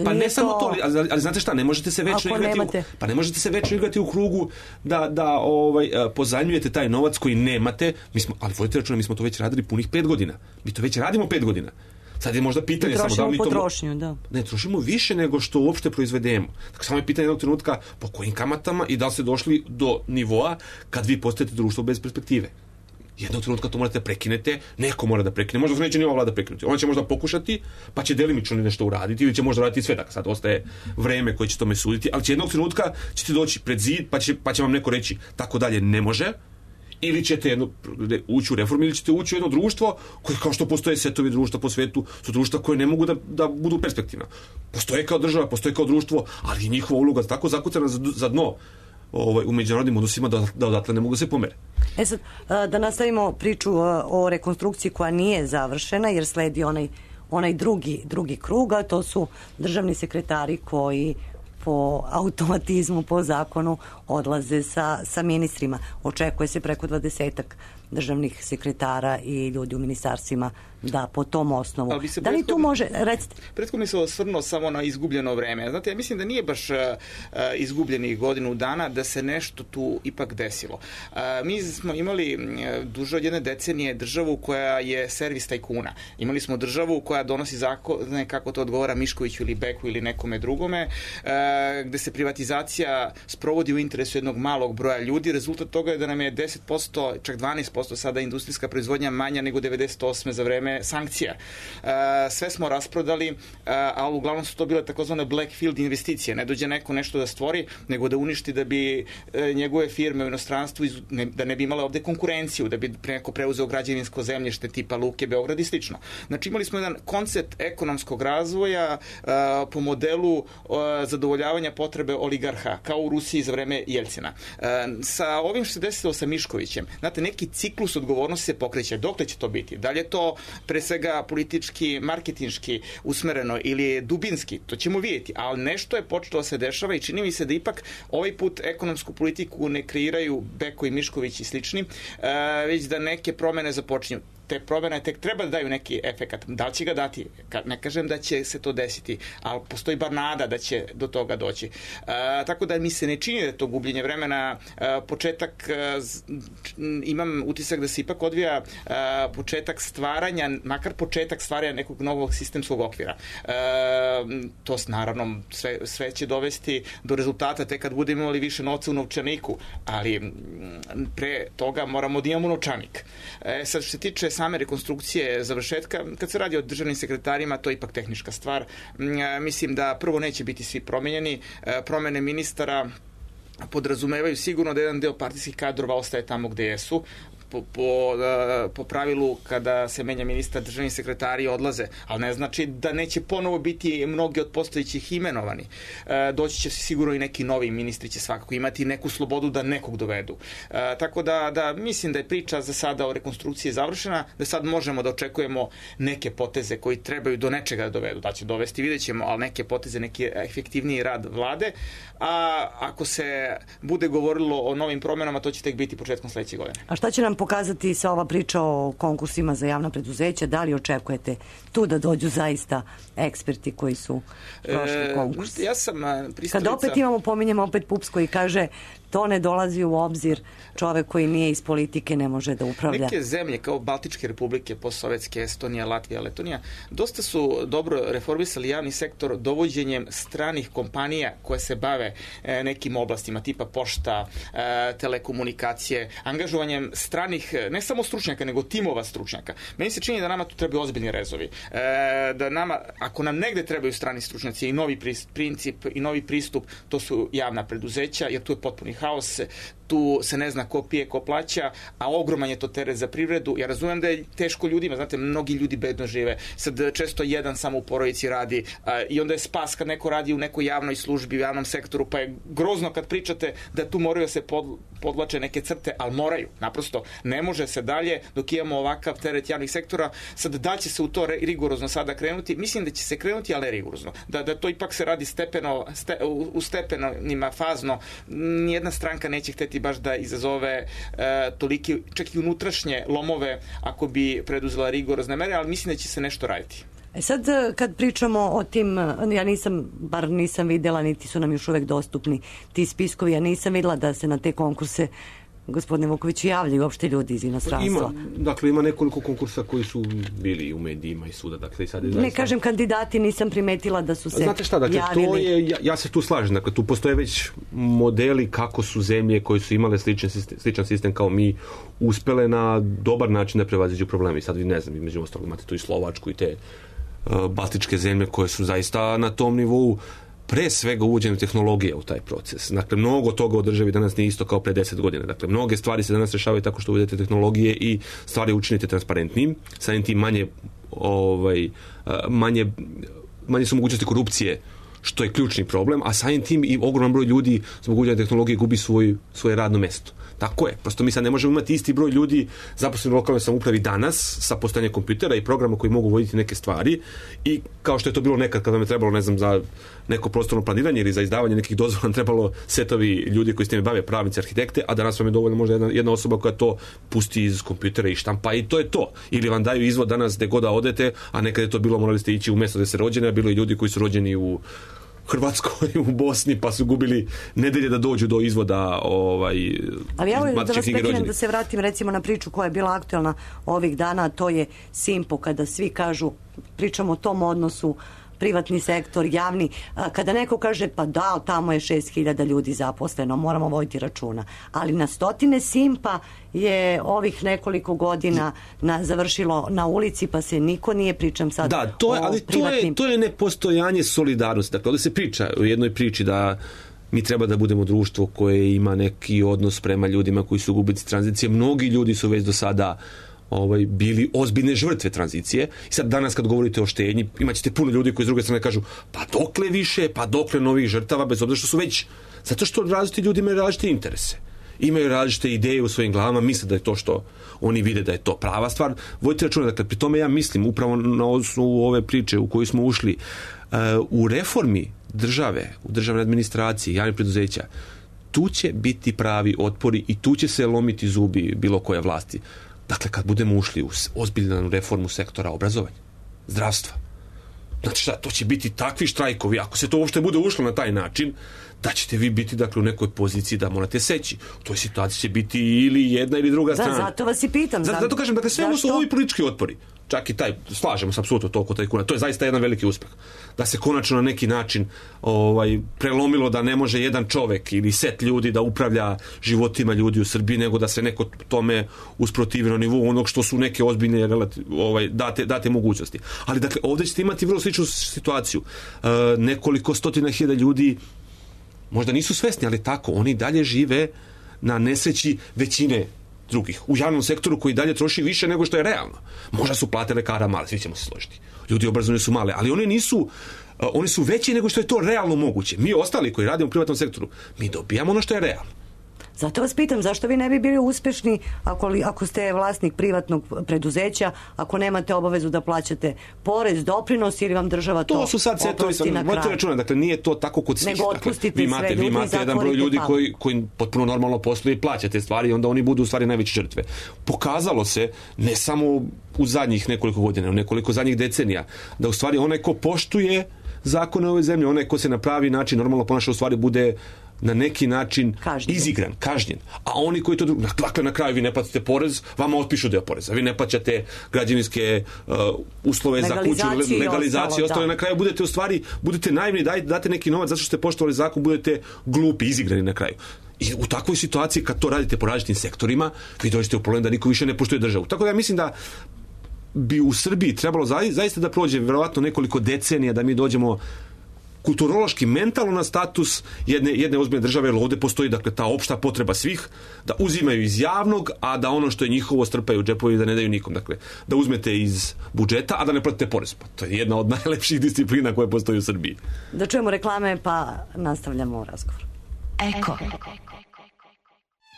Pa ne samo to, ali znate šta, ne možete se večno igrati u krugu da pozajmljujete taj novac koji nemate. Ali vodite računa, mi smo to već radili punih 5 godina. Mi to već radimo 5 godina. Sad je možda pitanje samo da li mi to... potrošnju, da. Ne, trošimo više nego što uopšte proizvedemo. Dakle, samo je pitanje jednog trenutka po kojim kamatama i da li ste došli do nivoa kad vi postajete društvo bez perspektive. Jednog trenutka to morate da prekinete, neko mora da prekine, možda se neće ni ova vlada prekinuti. Ona će možda pokušati, pa će delimično nešto uraditi ili će možda raditi sve, dakle sad ostaje vreme koje će tome suditi, ali će jednog trenutka ćete doći pred zid, pa će vam neko reći tako dalje ne može Ili ćete ući u reformu, ili ćete ući u jedno društvo koje, kao što postoje setovi društva po svetu, su društva koje ne mogu da budu perspektivna. Postoje kao država, postoje kao društvo, ali je njihova uloga tako zakucana za dno u međunarodnim odnosima da odatle ne mogu se pomere. Sad, da nastavimo priču o rekonstrukciji koja nije završena, jer sledi onaj drugi krug, a to su državni sekretari koji po automatizmu, po zakonu odlaze sa ministrima. Očekuje se preko 20-ak državnih sekretara i ljudi u ministarstvima da po tom osnovu. Da li tu može, recite? Prethodno se osvrnuo samo na izgubljeno vreme. Znate, ja mislim da nije baš izgubljenih godinu dana, da se nešto tu ipak desilo. Mi smo imali duže od jedne decenije državu koja je servis tajkuna. Imali smo državu koja donosi zakone kako to odgovara Miškoviću ili Beku ili nekome drugome, gde se privatizacija sprovodi u interesu jednog malog broja ljudi. Rezultat toga je da nam je 10%, čak 12% sada industrijska proizvodnja manja nego 98. za vreme sankcija. Sve smo rasprodali, ali uglavnom su to bile takozvane blackfield investicije. Ne dođe neko nešto da stvori, nego da uništi da bi njegove firme u inostranstvu, da ne bi imale ovde konkurenciju, da bi neko preuzeo građevinsko zemljište tipa Luke, Beograd i slično. Znači imali smo jedan koncept ekonomskog razvoja po modelu zadovoljavanja potrebe oligarha, kao u Rusiji za vreme Jeljcina. Sa ovim što se desilo sa Miškovićem, znate, neki ciklus odgovornosti se pokreće. Dokle će to biti? Da li je to pre svega politički, marketinški usmereno ili je dubinski? To ćemo vidjeti, ali nešto je počelo da se dešava i čini mi se da ipak ovaj put ekonomsku politiku ne kreiraju Beko i Mišković i slični, već da neke promene započinju. Te promene tek treba da daju neki efekat. Da li će ga dati? Ne kažem da će se to desiti, ali postoji bar nada da će do toga doći. Tako da mi se ne čini da je to gubljenje vremena. Početak, imam utisak da se ipak odvija početak stvaranja, makar početak stvaranja nekog novog sistemskog okvira. To naravno sve će dovesti do rezultata tek kad budemo imali više novca u novčaniku, ali pre toga moramo da imamo novčanik. Sad što se tiče same rekonstrukcije završetka, kad se radi o državnim sekretarima, to je ipak tehnička stvar. Mislim da prvo neće biti svi promenjeni. Promene ministara podrazumevaju sigurno da jedan deo partijskih kadrova ostaje tamo gde jesu. Po pravilu kada se menja ministar, državni sekretari odlaze, ali ne znači da neće ponovo biti mnogi od postojećih imenovani. Doći će se sigurno i neki novi ministri će svakako imati neku slobodu da nekog dovedu. Tako da mislim da je priča za sada o rekonstrukciji završena, da sad možemo da očekujemo neke poteze koji trebaju do nečega da dovedu. Da će dovesti, vidjet ćemo, ali neke poteze, neki efektivniji rad vlade, a ako se bude govorilo o novim promenama, to će tek biti početkom sledeće godine. A šta će nam pokazati sa ova priča o konkursima za javna preduzeća? Da li očekujete tu da dođu zaista eksperti koji su prošli konkurs? Ja sam pristalica... Kad opet pominjemo opet PUPS koji kaže to ne dolazi u obzir, čovek koji nije iz politike ne može da upravlja. Neke zemlje kao Baltičke republike, postsovjetske, Estonija, Latvija, Letonija, dosta su dobro reformisali javni sektor dovođenjem stranih kompanija koje se bave nekim oblastima, tipa pošta, telekomunikacije, angažovanjem stranih, ne samo stručnjaka, nego timova stručnjaka. Meni se čini da nama tu trebaju ozbiljni rezovi. Da nama, ako nam negde trebaju strani stručnjaci i novi princip i novi pristup, to su javna preduzeća, jer tu je potpuni haos, tu se ne zna ko pije, ko plaća, a ogroman je to teret za privredu. Ja razumem da je teško ljudima, znate, mnogi ljudi bedno žive. Sad često jedan samo u porodici radi i onda je spas kad neko radi u nekoj javnoj službi, u javnom sektoru, pa je grozno kad pričate da tu moraju da se podvlače neke crte, ali moraju. Naprosto, ne može se dalje dok imamo ovakav teret javnih sektora. Sad da će se u to rigorozno sada krenuti? Mislim da će se krenuti, ali rigorozno. Da to ipak se radi u stepenima, fazno. Nijedna stranka neće hteti baš da izazove toliki, čak i unutrašnje lomove ako bi preduzela rigorozne mere, ali mislim da će se nešto raditi. Sad kad pričamo o tim, ja nisam videla, niti su nam još uvek dostupni ti spiskovi, ja nisam videla da se na te konkurse gospodine Vuković javljaju uopšte ljudi iz inostranstva. Ima nekoliko konkursa koji su bili u medijima i svuda. Dakle, sad je ne kažem kandidati, nisam primetila da su se Znate šta, dakle, javili. To je, ja se tu slažem, dakle, tu postoje već modeli kako su zemlje koje su imale sličan sistem kao mi uspele na dobar način da prevaziđu probleme. I sad vi ne znam, među ostalog imate tu i Slovačku i te baltičke zemlje koje su zaista na tom nivou pre svega uvođenjem tehnologije u taj proces. Dakle, mnogo toga u državi danas nije isto kao pre 10 godina. Dakle, mnoge stvari se danas rešavaju tako što uvedete tehnologije i stvari učinite transparentnim, samim tim manje su mogućnosti korupcije, što je ključni problem, a samim tim i ogroman broj ljudi zbog uvođenja tehnologije gubi svoje radno mesto. Tako je. Prosto mi sad ne možemo imati isti broj ljudi zaposleni u lokalnoj samoupravi danas sa postojanjem kompjutera i programa koji mogu voditi neke stvari i kao što je to bilo nekad kada vam je trebalo, ne znam, za neko prostorno planiranje ili za izdavanje nekih dozvola trebalo setovi ljudi koji s time bave, pravnici, arhitekte, a danas vam je dovoljno možda jedna osoba koja to pusti iz kompjutera i štampa i to je to. Ili vam daju izvod danas gde god da odete, a nekad je to bilo, morali ste ići u mesto gde se rođeni, a bilo i ljudi koji su rođeni u Hrvatskoj, u Bosni, pa su gubili nedelje da dođu do izvoda ali ja da vas prekinem da se vratim recimo na priču koja je bila aktualna ovih dana, to je Simpo, kada svi kažu, pričamo o tom odnosu privatni sektor, javni, kada neko kaže pa da, tamo je 6.000 ljudi zaposleno, moramo voditi računa. Ali na stotine Simpa je ovih nekoliko godina završilo na ulici, pa se niko nije, pričam sad privatnim. To je nepostojanje solidarnosti. Dakle, ovdje se priča u jednoj priči da mi treba da budemo društvo koje ima neki odnos prema ljudima koji su gubitnici tranzicije. Mnogi ljudi su već do sada bili ozbiljne žrtve tranzicije. I sad danas kad govorite o štednji, imaćete puno ljudi koji s druge strane kažu pa dokle više, pa dokle novih žrtava, bez obzira što su već, zato što različiti ljudi imaju različite interese. Imaju različite ideje u svojim glavama, misle da je to što oni vide da je to prava stvar. Vodite računa, dakle, pri tome ja mislim, upravo na osnovu ove priče u koju smo ušli, u reformi države, u državnoj administraciji, javnih preduzeća, tu će biti pravi otpori i tu će se lomiti zubi bilo koje vlasti. Dakle, kad budemo ušli u ozbiljnu reformu sektora obrazovanja, zdravstva, znači šta, to će biti takvi štrajkovi, ako se to uopšte bude ušlo na taj način, da ćete vi biti, dakle, u nekoj poziciji da morate seći. U toj situaciji će biti ili jedna ili druga strana. Zato vas i pitam. Zato kažem, dakle, sve ovo su ovi politički otpori. Čak i taj, slažemo se apsolutno to oko tajkuna. To je zaista jedan veliki uspeh. Da se konačno na neki način prelomilo da ne može jedan čovek ili set ljudi da upravlja životima ljudi u Srbiji, nego da se neko tome usprotivi na nivou onog što su neke ozbiljne date mogućnosti. Ali, dakle, ovdje ćete imati vrlo sličnu situaciju. Nekoliko stotina hiljada ljudi možda nisu svesni, ali tako, oni dalje žive na nesreći većine drugih. U javnom sektoru koji dalje troši više nego što je realno. Možda su plate lekara male, svi ćemo se složiti. Ljudi obrazovani su male, ali oni su veći nego što je to realno moguće. Mi ostali koji radimo u privatnom sektoru, mi dobijamo ono što je realno. Zato vas pitam, zašto vi ne bi bili uspešni ako ste vlasnik privatnog preduzeća, ako nemate obavezu da plaćate porez, doprinos ili vam država to su sad oprosti na kraju? Računa, dakle, nije to tako kod svih. Nego otpustite vi imate jedan broj ljudi koji potpuno normalno posluju i plaća te stvari i onda oni budu u stvari najveće žrtve. Pokazalo se, ne samo u zadnjih nekoliko godina, u nekoliko zadnjih decenija, da u stvari onaj ko poštuje zakone ove zemlje, onaj ko se na pravi način normalno ponaša, u stvari bude na neki način izigran, kažnjen. A oni koji to... Dakle, na kraju vi ne platite porez, vama otpišu deo poreza. Vi ne plaćate građevinske uslove za kuću, legalizaciju, ostale. Na kraju budete naivni, date neki novac zato što ste poštovali zakon, budete glupi, izigrani na kraju. I u takvoj situaciji, kad to radite po različitim sektorima, vi dođete u problem da niko više ne poštuje državu. Tako da ja mislim da bi u Srbiji trebalo zaista da prođe verovatno nekoliko decenija da mi dođemo kulturološki, mentalno na status jedne ozbiljne države, jer ovdje postoji, dakle, ta opšta potreba svih da uzimaju iz javnog, a da ono što je njihovo strpaju u džepovi da ne daju nikom. Dakle, da uzmete iz budžeta, a da ne platite porez. Pa to je jedna od najlepših disciplina koje postoji u Srbiji. Da čujemo reklame, pa nastavljamo razgovor. Eko.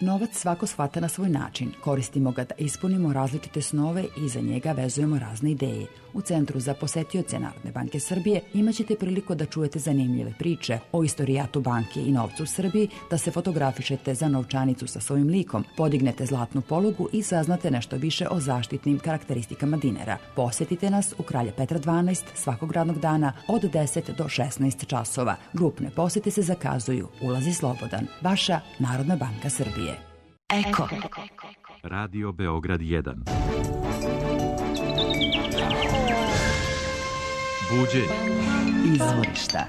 Novac svako shvata na svoj način. Koristimo ga da ispunimo različite snove i za njega vezujemo razne ideje. U Centru za posetioce Narodne banke Srbije imaćete priliku da čujete zanimljive priče o istorijatu banke i novcu u Srbiji, da se fotografišete za novčanicu sa svojim likom, podignete zlatnu polugu i saznate nešto više o zaštitnim karakteristikama dinara. Posetite nas u Kralja Petra 12 svakog radnog dana od 10 do 16 časova. Grupne posete se zakazuju. Ulaz je slobodan. Vaša Narodna banka Srbije. Eko. Radio Beograd 1. Buđenje. Izvorišta.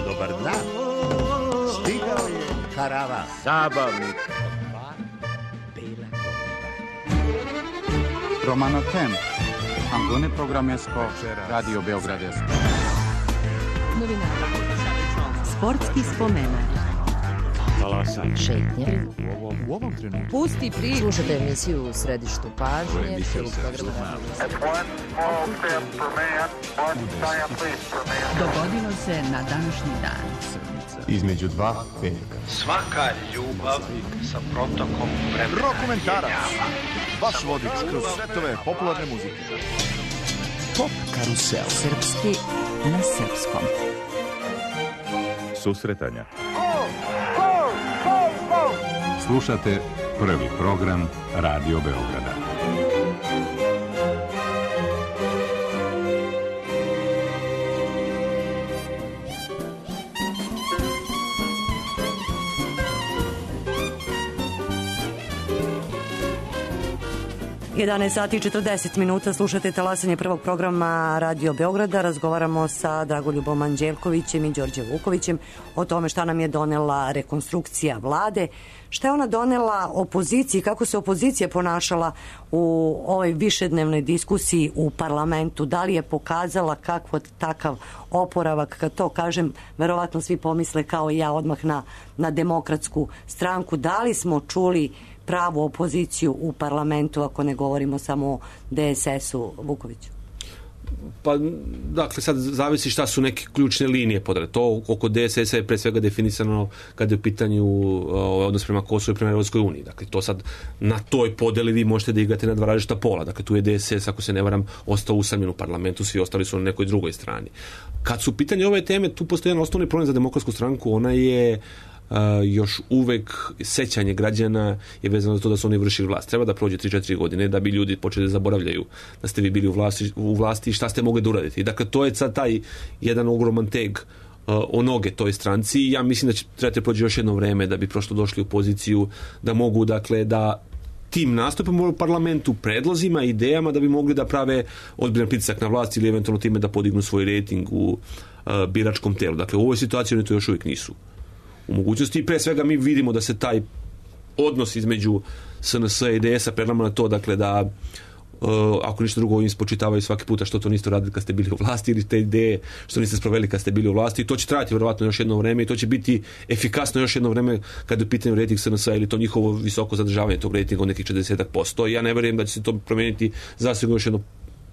Dobar dan. Stigao je karavan zabavnik. Romano Tem. Angone programesko Radio Beograd. Sportski spomenak. Šetnje. U ovom trenutku. Pusti priču. Slušajte emisiju u središtu pažnje. Dogodilo se na današnji dan. Između dva veka. Svaka ljubav sa protokom vremena. Dokumentarac. Vaš vodič kroz svetove popularne muzike. Pop karusel. Srpski na srpskom. Susretanja. Slušate prvi program Radio Beograda. Sati 40 minuta, slušate talasanje prvog programa Radio Beograda. Razgovaramo sa Dragoljubom Anđelkovićem i Đorđem Vukovićem o tome šta nam je donela rekonstrukcija vlade, šta je ona donela opoziciji, kako se opozicija ponašala u ovoj višednevnoj diskusiji u parlamentu, da li je pokazala kakvo takav oporavak. Kad to kažem, verovatno svi pomisle kao i ja odmah na Demokratsku stranku. Da li smo čuli pravu opoziciju u parlamentu, ako ne govorimo samo o DSS-u, Vukoviću? Pa, dakle, sad zavisi šta su neke ključne linije podre. To oko DSS-a je pre svega definisano kada je u pitanju odnos prema Kosovu i prema Evropskoj uniji. Dakle, to sad na toj podeli vi možete da igrate na dva različita pola. Dakle, tu je DSS, ako se ne varam, ostao usamljen u parlamentu, svi ostali su na nekoj drugoj strani. Kad su u pitanju ove teme, tu postoji jedan osnovni problem za Demokratsku stranku, ona je još uvek sećanje građana je vezano za to da su oni vršili vlast. Treba da prođe 3-4 godine da bi ljudi počeli da zaboravljaju da ste vi bili u vlasti i šta ste mogli da uraditi. I dakle, to je sad taj jedan ogroman teg o noge toj stranci i ja mislim da će trebati prođe još jedno vreme da bi prosto došli u poziciju da mogu, dakle, da tim nastupom u parlamentu, predlozima, idejama da bi mogli da prave ozbiljan pritisak na vlast ili eventualno time da podignu svoj rejting u biračkom telu. Dakle, u ovoj situaciji oni to još uvijek nisu u mogućnosti i pre svega mi vidimo da se taj odnos između SNS i DS-a prelama na to, dakle, da ako ništa drugo im spočitavaju svaki puta što to niste radili kad ste bili u vlasti ili te ideje što niste sproveli kad ste bili u vlasti i to će trajati vjerovatno još jedno vreme i to će biti efikasno još jedno vreme kad je u pitanju rejting SNS-a ili to njihovo visoko zadržavanje tog rejtinga od nekih 40%. Ja ne verujem da će se to promijeniti zasigurno još jednu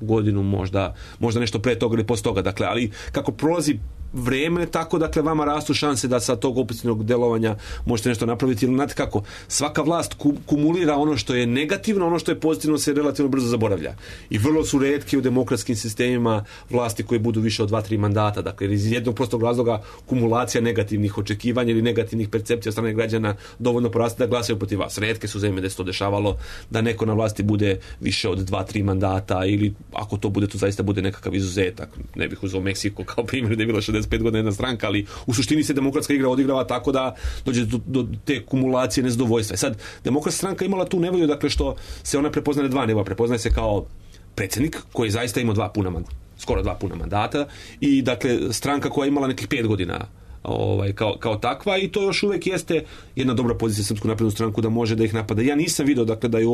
godinu, možda nešto pre toga ili posle toga. Dakle, ali kako prolazi vreme, tako, dakle, vama rastu šanse da sa tog opozicionog delovanja možete nešto napraviti. Ili, znate kako, svaka vlast kumulira ono što je negativno, ono što je pozitivno se relativno brzo zaboravlja. I vrlo su retke u demokratskim sistemima vlasti koje budu više od 2-3 mandata. Dakle, iz jednog prostog razloga kumulacija negativnih očekivanja ili negativnih percepcija od strane građana dovoljno poraste da glasaju protiv vas. Retke su zemlje da se to dešavalo, da neko na vlasti bude više od 2-3 mandata ili ako to bude, to zaista bude nekakav izuzetak. Ne bih uzeo Meksiko kao primjer da je bila 65 godina jedna stranka, ali u suštini se demokratska igra odigrava tako da dođe do te kumulacije nezadovoljstva. Sad, demokratska stranka imala tu nevolju, dakle, što se ona prepoznaje na dva nivoa. Prepoznaje se kao predsjednik koji zaista ima skoro 2 puna mandata i, dakle, stranka koja je imala nekih 5 godina kao takva i to još uvijek jeste jedna dobra pozicija Srpsku naprednu stranku da može da ih napada. Ja nisam vidio, dakle, da je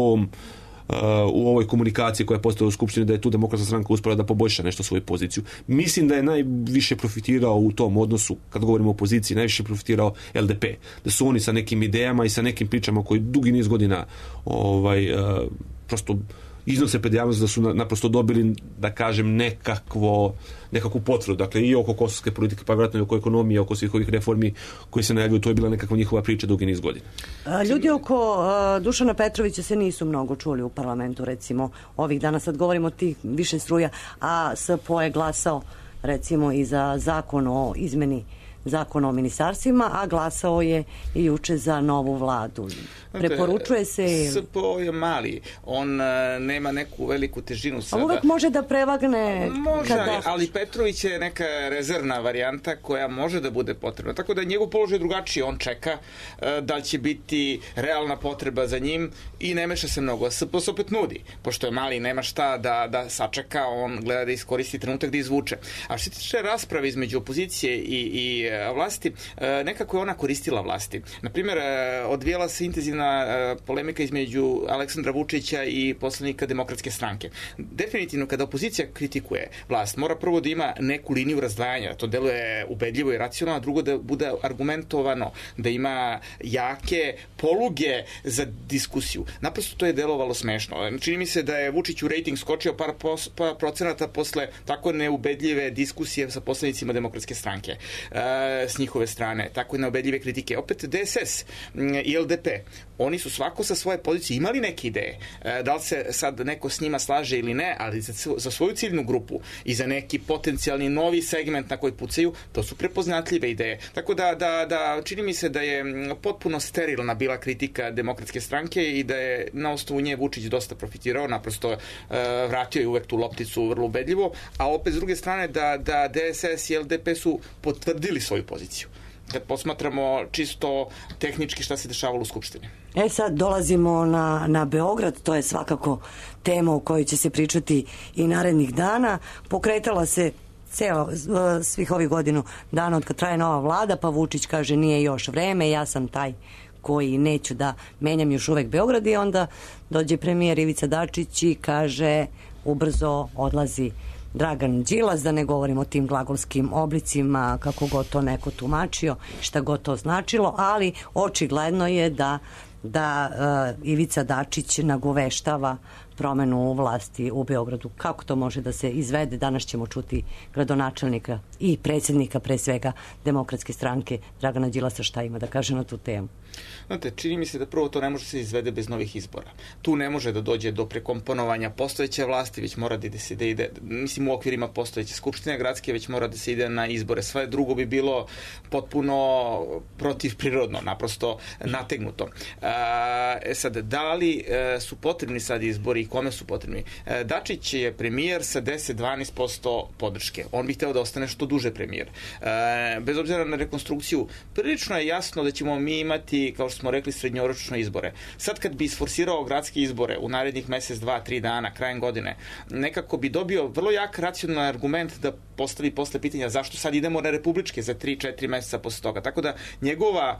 u ovoj komunikaciji koja je postala u Skupštini da je tu demokratska stranka uspela da poboljša nešto svoju poziciju. Mislim da je najviše profitirao u tom odnosu, kad govorimo o opoziciji, najviše profitirao LDP. Da su oni sa nekim idejama i sa nekim pričama koji dugi niz godina prosto iznose pred javnost da su naprosto dobili, da kažem, nekakvu potvrdu. Dakle, i oko kosovske politike, pa vjerojatno i oko ekonomije, oko svih ovih reformi koji se najavljuju, to je bila nekakva njihova priča dugi niz godina. Ljudi oko Dušana Petrovića se nisu mnogo čuli u parlamentu, recimo, ovih dana. Sad govorimo o tih više struja, a SPO je glasao, recimo, i za zakon o izmeni zakona o ministarstvima, a glasao je i juče za novu vladu. Preporučuje se... SPO je mali, on nema neku veliku težinu sada. A uvek može da prevagne... Može, ali Petrović je neka rezervna varijanta koja može da bude potrebna. Tako da je njegov položaj drugačiji, on čeka da li će biti realna potreba za njim i ne meša se mnogo. SPO se opet nudi, pošto je mali, nema šta da sačeka, on gleda da iskoristi trenutak da izvuče. A što se tiče rasprave između opozicije i vlasti, nekako je ona koristila vlasti. Naprimjer, odvijela se intenzivna polemika između Aleksandra Vučića i poslanika Demokratske stranke. Definitivno, kada opozicija kritikuje vlast, mora prvo da ima neku liniju razdvajanja, to deluje ubedljivo i racionalno, a drugo da bude argumentovano, da ima jake poluge za diskusiju. Naprosto to je delovalo smešno. Čini mi se da je Vučiću rejting skočio par procenata posle tako neubedljive diskusije sa poslanicima Demokratske stranke s njihove strane, tako neubedljive kritike. Opet DSS i LDP, oni su svako sa svoje pozicije imali neke ideje. Da li se sad neko s njima slaže ili ne, ali za svoju ciljnu grupu i za neki potencijalni novi segment na koji pucaju, to su prepoznatljive ideje. Tako da čini mi se da je potpuno sterilna bila kritika Demokratske stranke i da je na osnovu nje Vučić dosta profitirao, naprosto vratio je uvek tu lopticu vrlo ubedljivo, a opet s druge strane da DSS i LDP su potvrdili svoju poziciju. Kad posmatramo čisto tehnički šta se dešavalo u Skupštini. Sad dolazimo na Beograd, to je svakako tema o kojoj će se pričati i narednih dana. Pokretala se svih ovih godinu dana od kad traje nova vlada, pa Vučić kaže nije još vreme, ja sam taj koji neću da menjam još uvek Beograd, i onda dođe premijer Ivica Dačić i kaže ubrzo odlazi Dragan Đilas, da ne govorimo o tim glagolskim oblicima, kako god to neko tumačio, šta god to značilo, ali očigledno je da Ivica Dačić nagoveštava promenu vlasti u Beogradu. Kako to može da se izvede? Danas ćemo čuti gradonačelnika i predsjednika, pre svega, Demokratske stranke, Dragana Đilasa, šta ima da kaže na tu temu. Znate, čini mi se da prvo to ne može se izvede bez novih izbora. Tu ne može da dođe do prekomponovanja postojeće vlasti, već mora da se ide, mislim, u okvirima postojeće skupštine gradske, već mora da se ide na izbore. Sve drugo bi bilo potpuno protivprirodno, naprosto nategnuto. Sad, da li su potrebni sad izbori i kome su potrebni? Dačić je premijer sa 10-12% podrške. On bi hteo da ostane što duže premijer. Bez obzira na rekonstrukciju, prilično je jasno da ćemo mi imati, kao što smo rekli, srednjoročno izbore. Sad kad bi isforsirao gradske izbore u narednih mesec, 2-3 dana, krajem godine, nekako bi dobio vrlo jak racionalan argument da postavi posle pitanja zašto sad idemo na republičke za 3-4 meseca posle toga. Tako da njegova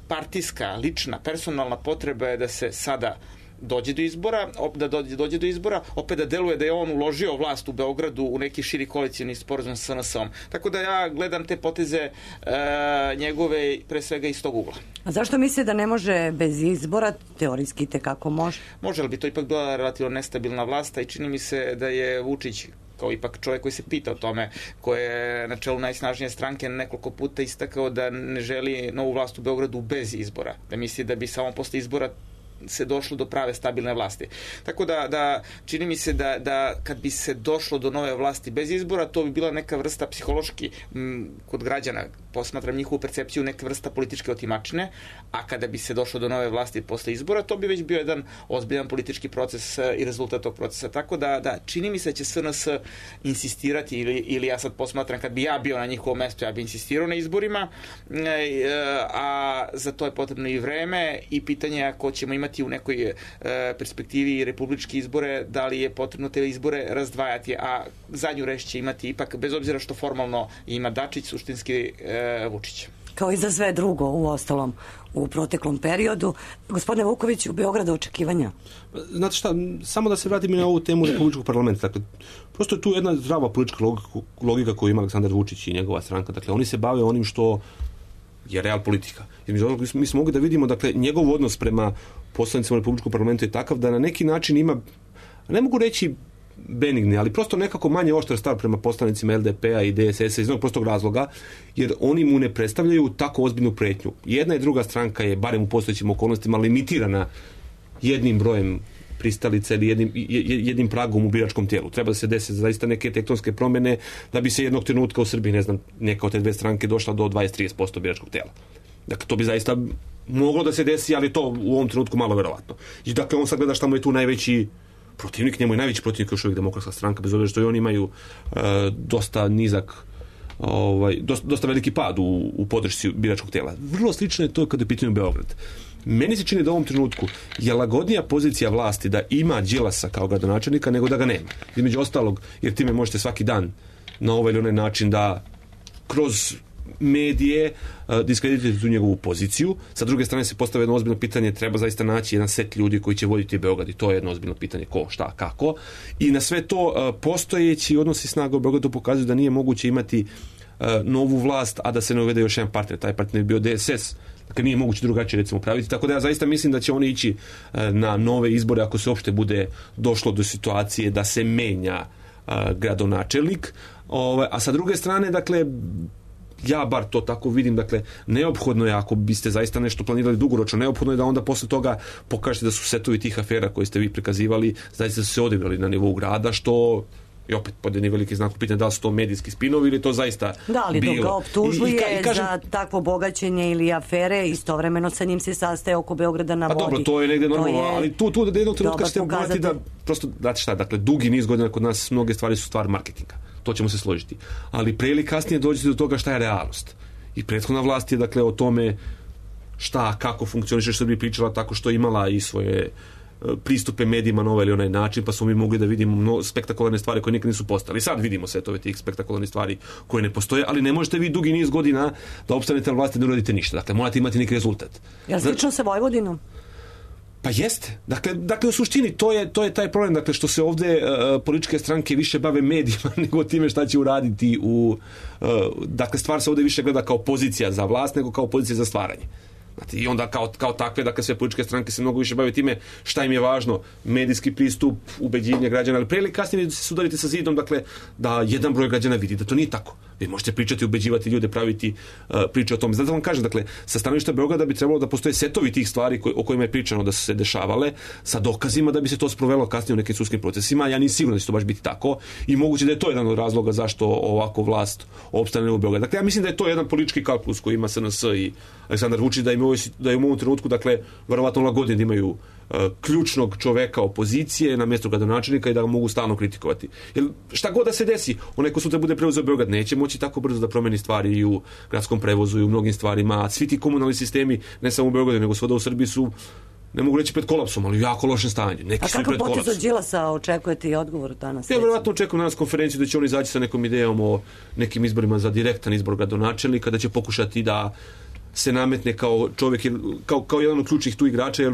partijska, lična, personalna potreba je da se sada dođe do izbora, opet da deluje da je on uložio vlast u Beogradu u neki širi koalicijni sporazum sa SNS-om. Tako da ja gledam te poteze njegove pre svega iz tog ugla. A zašto misle da ne može bez izbora? Teorijski tekako može. Može, ali bi to ipak bila relativno nestabilna vlast, i čini mi se da je Vučić kao ipak čovjek koji se pita o tome, koji je na čelu najsnažnije stranke nekoliko puta istakao da ne želi novu vlast u Beogradu bez izbora. Da misli da bi samo posle izbora se došlo do prave stabilne vlasti. Tako da čini mi se da kad bi se došlo do nove vlasti bez izbora, to bi bila neka vrsta psihološki kod građana, posmatram njihovu percepciju, neka vrsta političke otimačine, a kada bi se došlo do nove vlasti posle izbora, to bi već bio jedan ozbiljan politički proces i rezultat tog procesa. Tako da čini mi se da će SNS insistirati, ili ja sad posmatram, kad bi ja bio na njihovom mestu, ja bi insistirao na izborima, a za to je potrebno i vreme i pitanje ako ćemo imati u nekoj perspektivi republičke izbore, da li je potrebno te izbore razdvajati, a zadnju reč će imati ipak, bez obzira što formalno ima Dačić, suštinski Vučić. Kao i za sve drugo, u ostalom, u proteklom periodu. Gospodine Vuković, u Beogradu očekivanja? Znate šta, samo da se vratim i na ovu temu republičkog parlamenta. Dakle, prosto je tu jedna zdrava politička logika koju ima Aleksandar Vučić i njegova stranka. Dakle, oni se bave onim što je real politika. Mi smo mogli da vidimo, dakle, njegov odnos prema poslanicima republičkog parlamenta je takav da na neki način ima, ne mogu reći benigni, ali prosto nekako manje oštar stav prema poslanicima LDP-a i DSS-a iz jednog prostog razloga, jer oni mu ne predstavljaju tako ozbiljnu pretnju. Jedna i druga stranka je, barem u postojećim okolnostima, limitirana jednim brojem pristalica ili jednim pragom u biračkom tijelu. Treba da se desi zaista neke tektonske promjene da bi se jednog trenutka u Srbiji, ne znam, neka od te dve stranke došla do 20-30% biračkog tijela. Dakle, to bi zaista moglo da se desi, ali to u ovom trenutku malo verovatno. I dakle, on sad gleda šta mu je tu najveći protivnik, njemu je najveći protivnik još uvijek Demokratska stranka, bez obzira što i oni imaju dosta nizak, dosta veliki pad u podršci biračkog tijela. Vrlo slično je to kada je pitanje Beograd. Meni se čini da u ovom trenutku je lagodnija pozicija vlasti da ima Đilasa kao gradonačelnika nego da ga nema. Između ostalog, jer time možete svaki dan na ovaj ili onaj način da kroz medije, diskredituju tu njegovu poziciju. Sa druge strane se postavlja jedno ozbiljno pitanje, treba zaista naći jedan set ljudi koji će voditi Beograd i to je jedno ozbiljno pitanje ko, šta, kako. I na sve to postojeći odnosi snaga u Beogradu pokazuju da nije moguće imati novu vlast, a da se ne uvede još jedan partner. Taj partner je bio DSS. Dakle, nije moguće drugačije recimo praviti. Tako da ja zaista mislim da će oni ići na nove izbore ako se uopšte bude došlo do situacije da se menja gradonačelnik. A sa druge strane, dakle, ja bar to tako vidim, dakle, neophodno je, ako biste zaista nešto planirali dugoročno, neophodno je da onda posle toga pokažete da su setovi tih afera koje ste vi prikazivali, zaista su se odigrali na nivou grada, što i opet pod jedni veliki znak pitanja da li su to medijski spinovi ili to zaista da, ali bilo. Da, ga optužuje za takvo bogaćenje ili afere, istovremeno sa njim se sastaje oko Beograda na vodi. Pa dobro, to je negde normalno, ali tu da jednog trenutka ćete pogledati da prosto, znate šta, dakle, dugi niz godina kod nas mnoge stvari su stvar marketinga. To ćemo se složiti. Ali pre ili kasnije dođete do toga šta je realnost. I prethodna vlast je, dakle, o tome šta, kako funkcioniše Srbija pričala tako što imala i svoje pristupe medijima na ovaj ili onaj način, pa smo mi mogli da vidimo spektakularne stvari koje nikad nisu postali. Sad vidimo setove tih spektakularnih stvari koje ne postoje, ali ne možete vi dugi niz godina da opstanete na vlasti i ne uradite ništa. Dakle, morate imati neki rezultat. Jel slično sa Vojvodinom? Pa jeste. Dakle, u suštini to je taj problem, dakle, što se ovde političke stranke više bave medijima nego time šta će uraditi dakle, stvar se ovde više gleda kao pozicija za vlast nego kao pozicija za stvaranje. Znate, i onda kao takve, dakle, sve političke stranke se mnogo više bave time šta im je važno, medijski pristup, ubeđivanje građana, ali pre ili kasnije se sudarite sa zidom, dakle, da jedan broj građana vidi da to nije tako. Vi možete pričati, ubeđivati ljude, praviti priče o tome. Zato vam kažem, dakle, sa stanovišta Beograda bi trebalo da postoje setovi tih stvari o kojima je pričano da su se dešavale, sa dokazima da bi se to sprovelo kasnije u nekim sudskim procesima. Ja nisam siguran da će to baš biti tako i moguće da je to jedan od razloga zašto ovako vlast opstane u Beogradu. Dakle, ja mislim da je to jedan politički kalkulus koji ima SNS i Aleksandar Vučić, da im u ovom trenutku, dakle, verovatno lagodnije da imaju ključnog čoveka opozicije na mjestu gradonačelnika i da ga mogu stalno kritikovati. Jer šta god da se desi, onaj ko sutra bude preuzeo Beograd neće moći tako brzo da promeni stvari i u gradskom prevozu i u mnogim stvarima. Svi ti komunalni sistemi, ne samo u Beogradu, nego svuda u Srbiji su, ne mogu reći pred kolapsom, ali u jako lošem stanju. Neki su i pred kolapsom. A kako potez od Đilasa očekujete i odgovor danas? Ja verovatno očekujem danas konferenciju da će oni izaći sa nekom idejom o nekim izborima za direktan izbor gradonačelnika, da će pokušati da se nametne kao čovjek, kao jedan od ključnih tu igrača, jer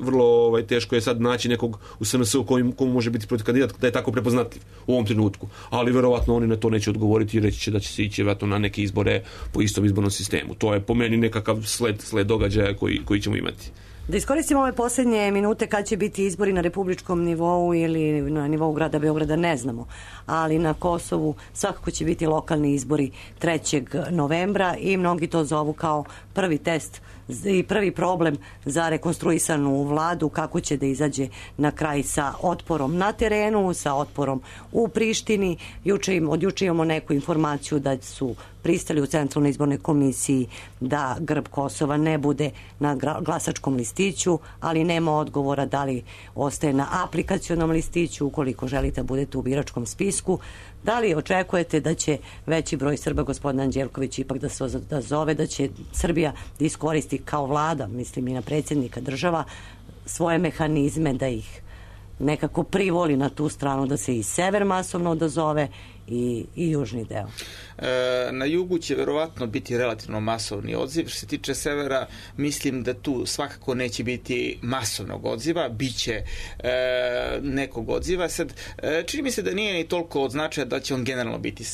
vrlo teško je sad naći nekog u SNS-u komu može biti protiv kandidat da je tako prepoznatljiv u ovom trenutku. Ali verovatno oni na to neće odgovoriti i reći će da će se ići verovatno na neke izbore po istom izbornom sistemu. To je po meni nekakav sled događaja koji ćemo imati. Da iskoristimo ove posljednje minute kad će biti izbori na republičkom nivou ili na nivou grada Beograda, ne znamo. Ali na Kosovu svakako će biti lokalni izbori 3. novembra i mnogi to zovu kao prvi test i prvi problem za rekonstruisanu vladu, kako će da izađe na kraj sa otporom na terenu, sa otporom u Prištini. Od juče imamo neku informaciju da su pristali u Centralnoj izbornoj komisiji da grb Kosova ne bude na glasačkom listiću, ali nema odgovora da li ostaje na aplikacionom listiću ukoliko želite da budete u biračkom spisku. Da li očekujete da će veći broj Srba, gospodin Anđelković, ipak da zove, da će Srbija da iskoristi kao vlada, mislim i na predsjednika država, svoje mehanizme da ih nekako privoli na tu stranu, da se i sever masovno odazove i južni deo? Na jugu će verovatno biti relativno masovni odziv. Što se tiče severa, mislim da tu svakako neće biti masovnog odziva, biće nekog odziva. Sad, čini mi se da nije ni toliko od značaja da će on generalno biti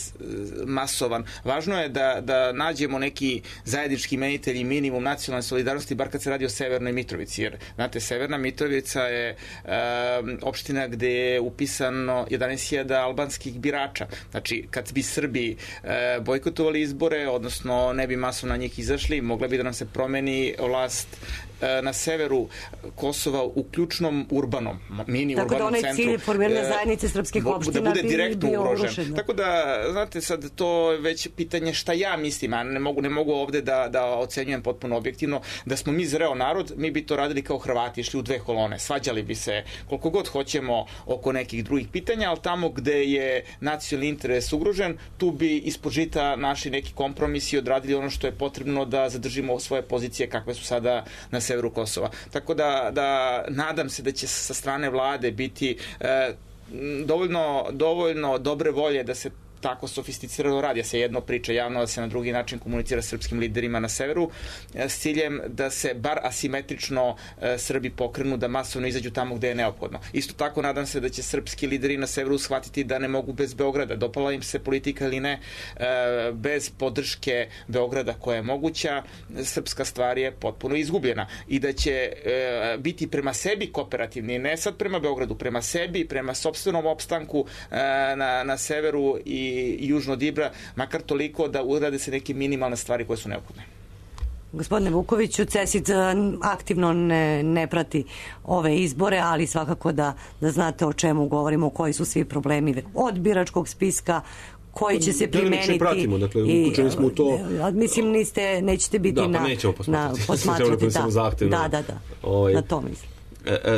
masovan. Važno je da nađemo neki zajednički imenitelj i minimum nacionalne solidarnosti, bar kad se radi o Severnoj Mitrovici. Jer, znate, Severna Mitrovica je opština gde je upisano 11.000 albanskih birača. Znači, kad bi Srbi bojkotovali izbore, odnosno ne bi masovno na njih izašli, mogla bi da nam se promeni vlast na severu Kosova u ključnom urbanom, mini urbanom centru. Tako da onaj cilj formiranja zajednice srpskih opština da bude direktno ugrožen. Tako da, znate, sad to je već pitanje šta ja mislim, a ne mogu ovde da ocenjujem potpuno objektivno. Da smo mi zreo narod, mi bi to radili kao Hrvati, išli u dve kolone, svađali bi se koliko god hoćemo oko nekih drugih pitanja, ali tamo gde je nacionalni interes ugrožen, tu bi ispod žita našli neki kompromis i odradili ono što je potrebno da zadržimo svoje pozicije kakve su sada na severu Kosova. Tako da nadam se da će sa strane vlade biti dovoljno dobre volje da se tako sofisticirano radi. Se jedno priča javno, da se na drugi način komunicira s srpskim liderima na severu s ciljem da se bar asimetrično Srbi pokrenu, da masovno izađu tamo gde je neophodno. Isto tako nadam se da će srpski lideri na severu shvatiti da ne mogu bez Beograda. Dopala im se politika ili ne, bez podrške Beograda koja je moguća, srpska stvar je potpuno izgubljena i da će biti prema sebi kooperativni, ne sad prema Beogradu, prema sebi, prema sopstvenom opstanku na severu i južno od Ibra, makar toliko da urade se neke minimalne stvari koje su neophodne. Gospodine Vukoviću, CESID aktivno ne prati ove izbore, ali svakako da znate o čemu govorimo, koji su svi problemi od biračkog spiska, koji će se primeniti. Pratimo, dakle, uključeni smo u to. Mislim, nećete biti pa nećemo posmatrati. Da. Na to mislim.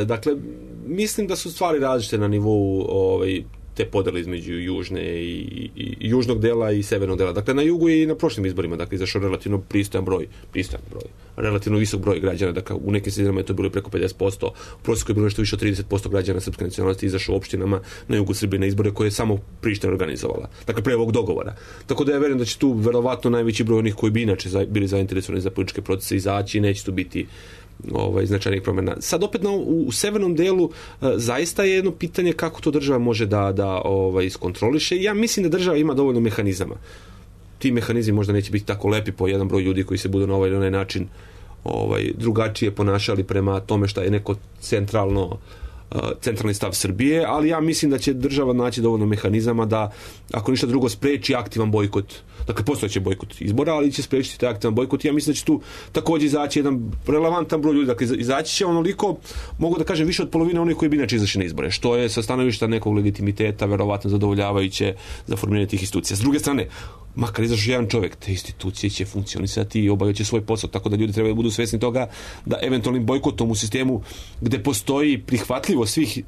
Dakle, mislim da su stvari različite na nivou te podele između južne i južnog dela i severnog dela. Dakle, na jugu i na prošlim izborima, dakle, izašao relativno pristojan broj, relativno visok broj građana, dakle, u nekim sredinama je to bilo preko 50%, u prosjeku je bilo nešto više od 30% građana srpske nacionalnosti izašao u opštinama na jugu Srbije na izbore koje je samo Priština organizovala. Dakle, pre ovog dogovora. Tako da ja verujem da će tu verovatno najveći broj onih koji bi inače bili zainteresovani za političke procese izaći i neće tu biti značajnih promjena. Sad opet u severnom delu zaista je jedno pitanje kako to država može da iskontroliše. Ja mislim da država ima dovoljno mehanizama. Ti mehanizmi možda neće biti tako lepi po jedan broj ljudi koji se budu na ovaj ili onaj način drugačije ponašali prema tome šta je neko centralni stav Srbije, ali ja mislim da će država naći dovoljno mehanizama da, ako ništa drugo, spreči aktivan bojkot. Dakle, postojeće bojkot izbora, ali će sprečiti taj aktivan bojkot. Ja mislim da će tu također izaći jedan relevantan broj ljudi. Dakle, izaći će onoliko, mogu da kažem, više od polovine onih koji bi inače izašli na izbore, što je sa stanovišta nekog legitimiteta verovatno zadovoljavajuće za formiranje tih institucija. S druge strane, makar izašao jedan čovjek, te institucije će funkcionisati i obavljati svoj posao, tako da ljudi trebaju da budu svesni toga da eventualnim bojkotom u sistemu gde postoji prihvatljivo svih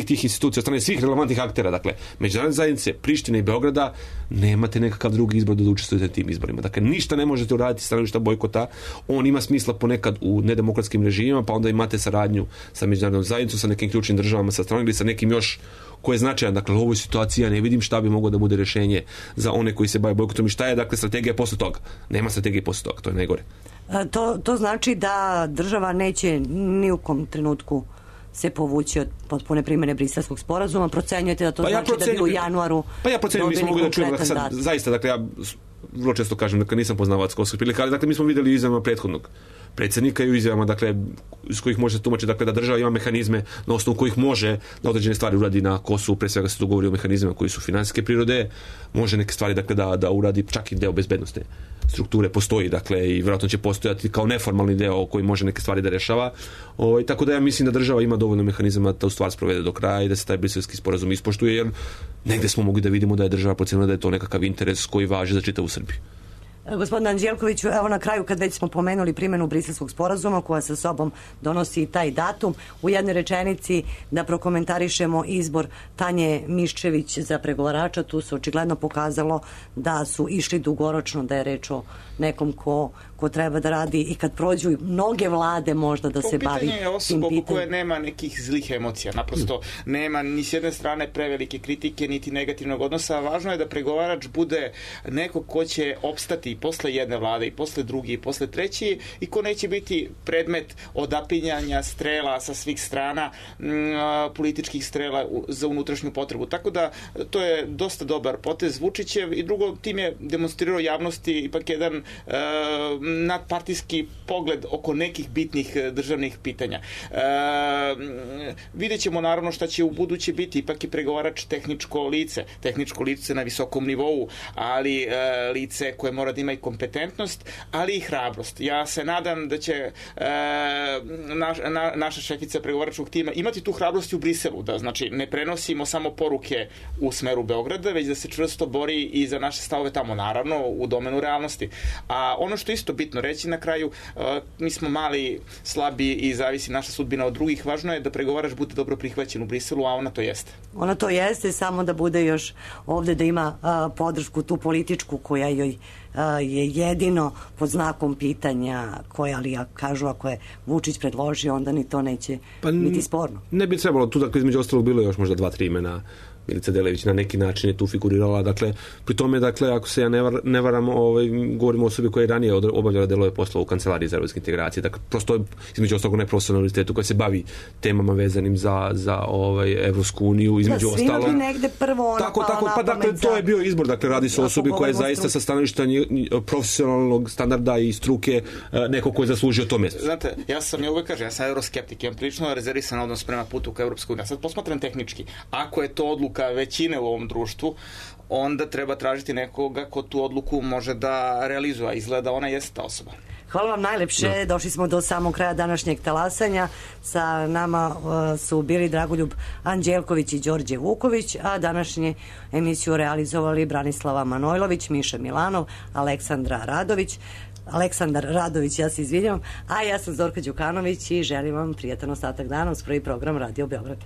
tih institucija od strane svih relevantnih aktera, dakle, međunarodne zajednice, Prištine i Beograda, nemate nekakav drugi izbor da učestvujete na tim izborima. Dakle, ništa ne možete uraditi stanovišta bojkota. On ima smisla ponekad u nedemokratskim režimima, pa onda imate saradnju sa međunarodnom zajednicom, sa nekim ključnim državama sa strane ili sa nekim još koje je značajan. Dakle, u ovoj situaciji ja ne vidim šta bi moglo da bude rješenje za one koji se bave bojkotom i šta je, dakle, strategija posle toga. Nema strategije posle toga, to je najgore. To znači da država neće ni u kom trenutku se povući od potpune primjene Briselskog sporazuma. Procenjujete da to znači da bi u januaru dobili konkretan datum? Zaista, dakle, ja vrlo često kažem, dakle, nisam poznavac kosovskih prilika, ali dakle, mi smo vidjeli u izjavama prethodnog predsjednika i u izjavama, dakle, iz kojih može tumačiti, dakle, da država ima mehanizme na osnovu kojih može da određene stvari uradi na Kosovu, pre svega se tu govori o mehanizmima koji su finansijske prirode, može neke stvari, dakle, da uradi čak i deo bezbednostne strukture postoji, dakle, i vjerojatno će postojati kao neformalni deo koji može neke stvari da rešava. Tako da ja mislim da država ima dovoljno mehanizama da tu stvar sprovede do kraja i da se taj briselski sporazum ispoštuje, jer negde smo mogli da vidimo da je država procenila da je to nekakav interes koji važi za čitavu Srbiju. Gospodine Anđelkoviću, evo na kraju, kad već smo pomenuli primjenu Briselskog sporazuma koja sa sobom donosi i taj datum, u jednoj rečenici da prokomentarišemo izbor Tanje Miščević za pregovarača. Tu se očigledno pokazalo da su išli dugoročno, da je reč o nekom ko treba da radi i kad prođu mnoge vlade možda da se bavi tim pitanjem. To pitanje je osoba koja nema nekih zlih emocija. Naprosto nema ni s jedne strane prevelike kritike, niti negativnog odnosa. Važno je da pregovarač bude neko ko će opstati i posle jedne vlade, i posle drugi, i posle treći, i ko neće biti predmet odapinjanja strela sa svih strana, političkih strela za unutrašnju potrebu. Tako da to je dosta dobar potez Vučićev, i drugo, tim je demonstrirao javnosti ipak jedan nadpartijski pogled oko nekih bitnih državnih pitanja. Vidjet ćemo naravno šta će u buduće biti. Ipak je pregovarač tehničko lice na visokom nivou, ali lice koje mora da ima i kompetentnost, ali i hrabrost. Ja se nadam da će naša šefica pregovaračkog tima imati tu hrabrost u Briselu, da znači ne prenosimo samo poruke u smeru Beograda, već da se čvrsto bori i za naše stavove tamo, naravno u domenu realnosti. A ono što isto bitno reći na kraju, mi smo mali, slabi i zavisi naša sudbina od drugih. Važno je da pregovarač bude dobro prihvaćen u Briselu, a ona to jeste. Ona to jeste, samo da bude još ovde, da ima podršku tu političku koja joj je jedino pod znakom pitanja koje, ali ja kažu ako je Vučić predložio, onda ni to neće biti sporno. Ne bi trebalo, tu dakle između ostalog bilo još možda 2-3 imena. Milica Delević na neki način je tu figurirala, dakle, pri tome, dakle, ako se ja ne varam, govorimo o osobi koja je ranije obavljala delove posla u Kancelariji za evropske integracije, dakle, prosto je između ostalog neprofesionalnom univerzitetu koja se bavi temama vezanim za Evropsku uniju, između ostalo. Svima bi negde prvo tako, pa dakle, to je bio izbor, dakle, radi se o osobi koja je zaista sa stanovišta profesionalnog standarda i struke neko ko je zaslužio to mjesto. Znate, ja uvek kažem, ja sam euroskeptik, imam prilično rezervisan odnos prema putu ka Evropskoj uniji. Sad posmatram tehnički, ako je to odluka većine u ovom društvu, onda treba tražiti nekoga ko tu odluku može da realizuje, a izgleda ona jeste ta osoba. Hvala vam najlepše, došli smo do samog kraja današnjeg talasanja. Sa nama su bili Dragoljub Anđelković i Đorđe Vuković, a današnju emisiju realizovali Branislava Manojlović, Miša Milanov, Aleksandar Radović, ja se izvinjam, a ja sam Zorka Đukanović i želim vam prijatan ostatak dana uz prvi program Radio Beograd.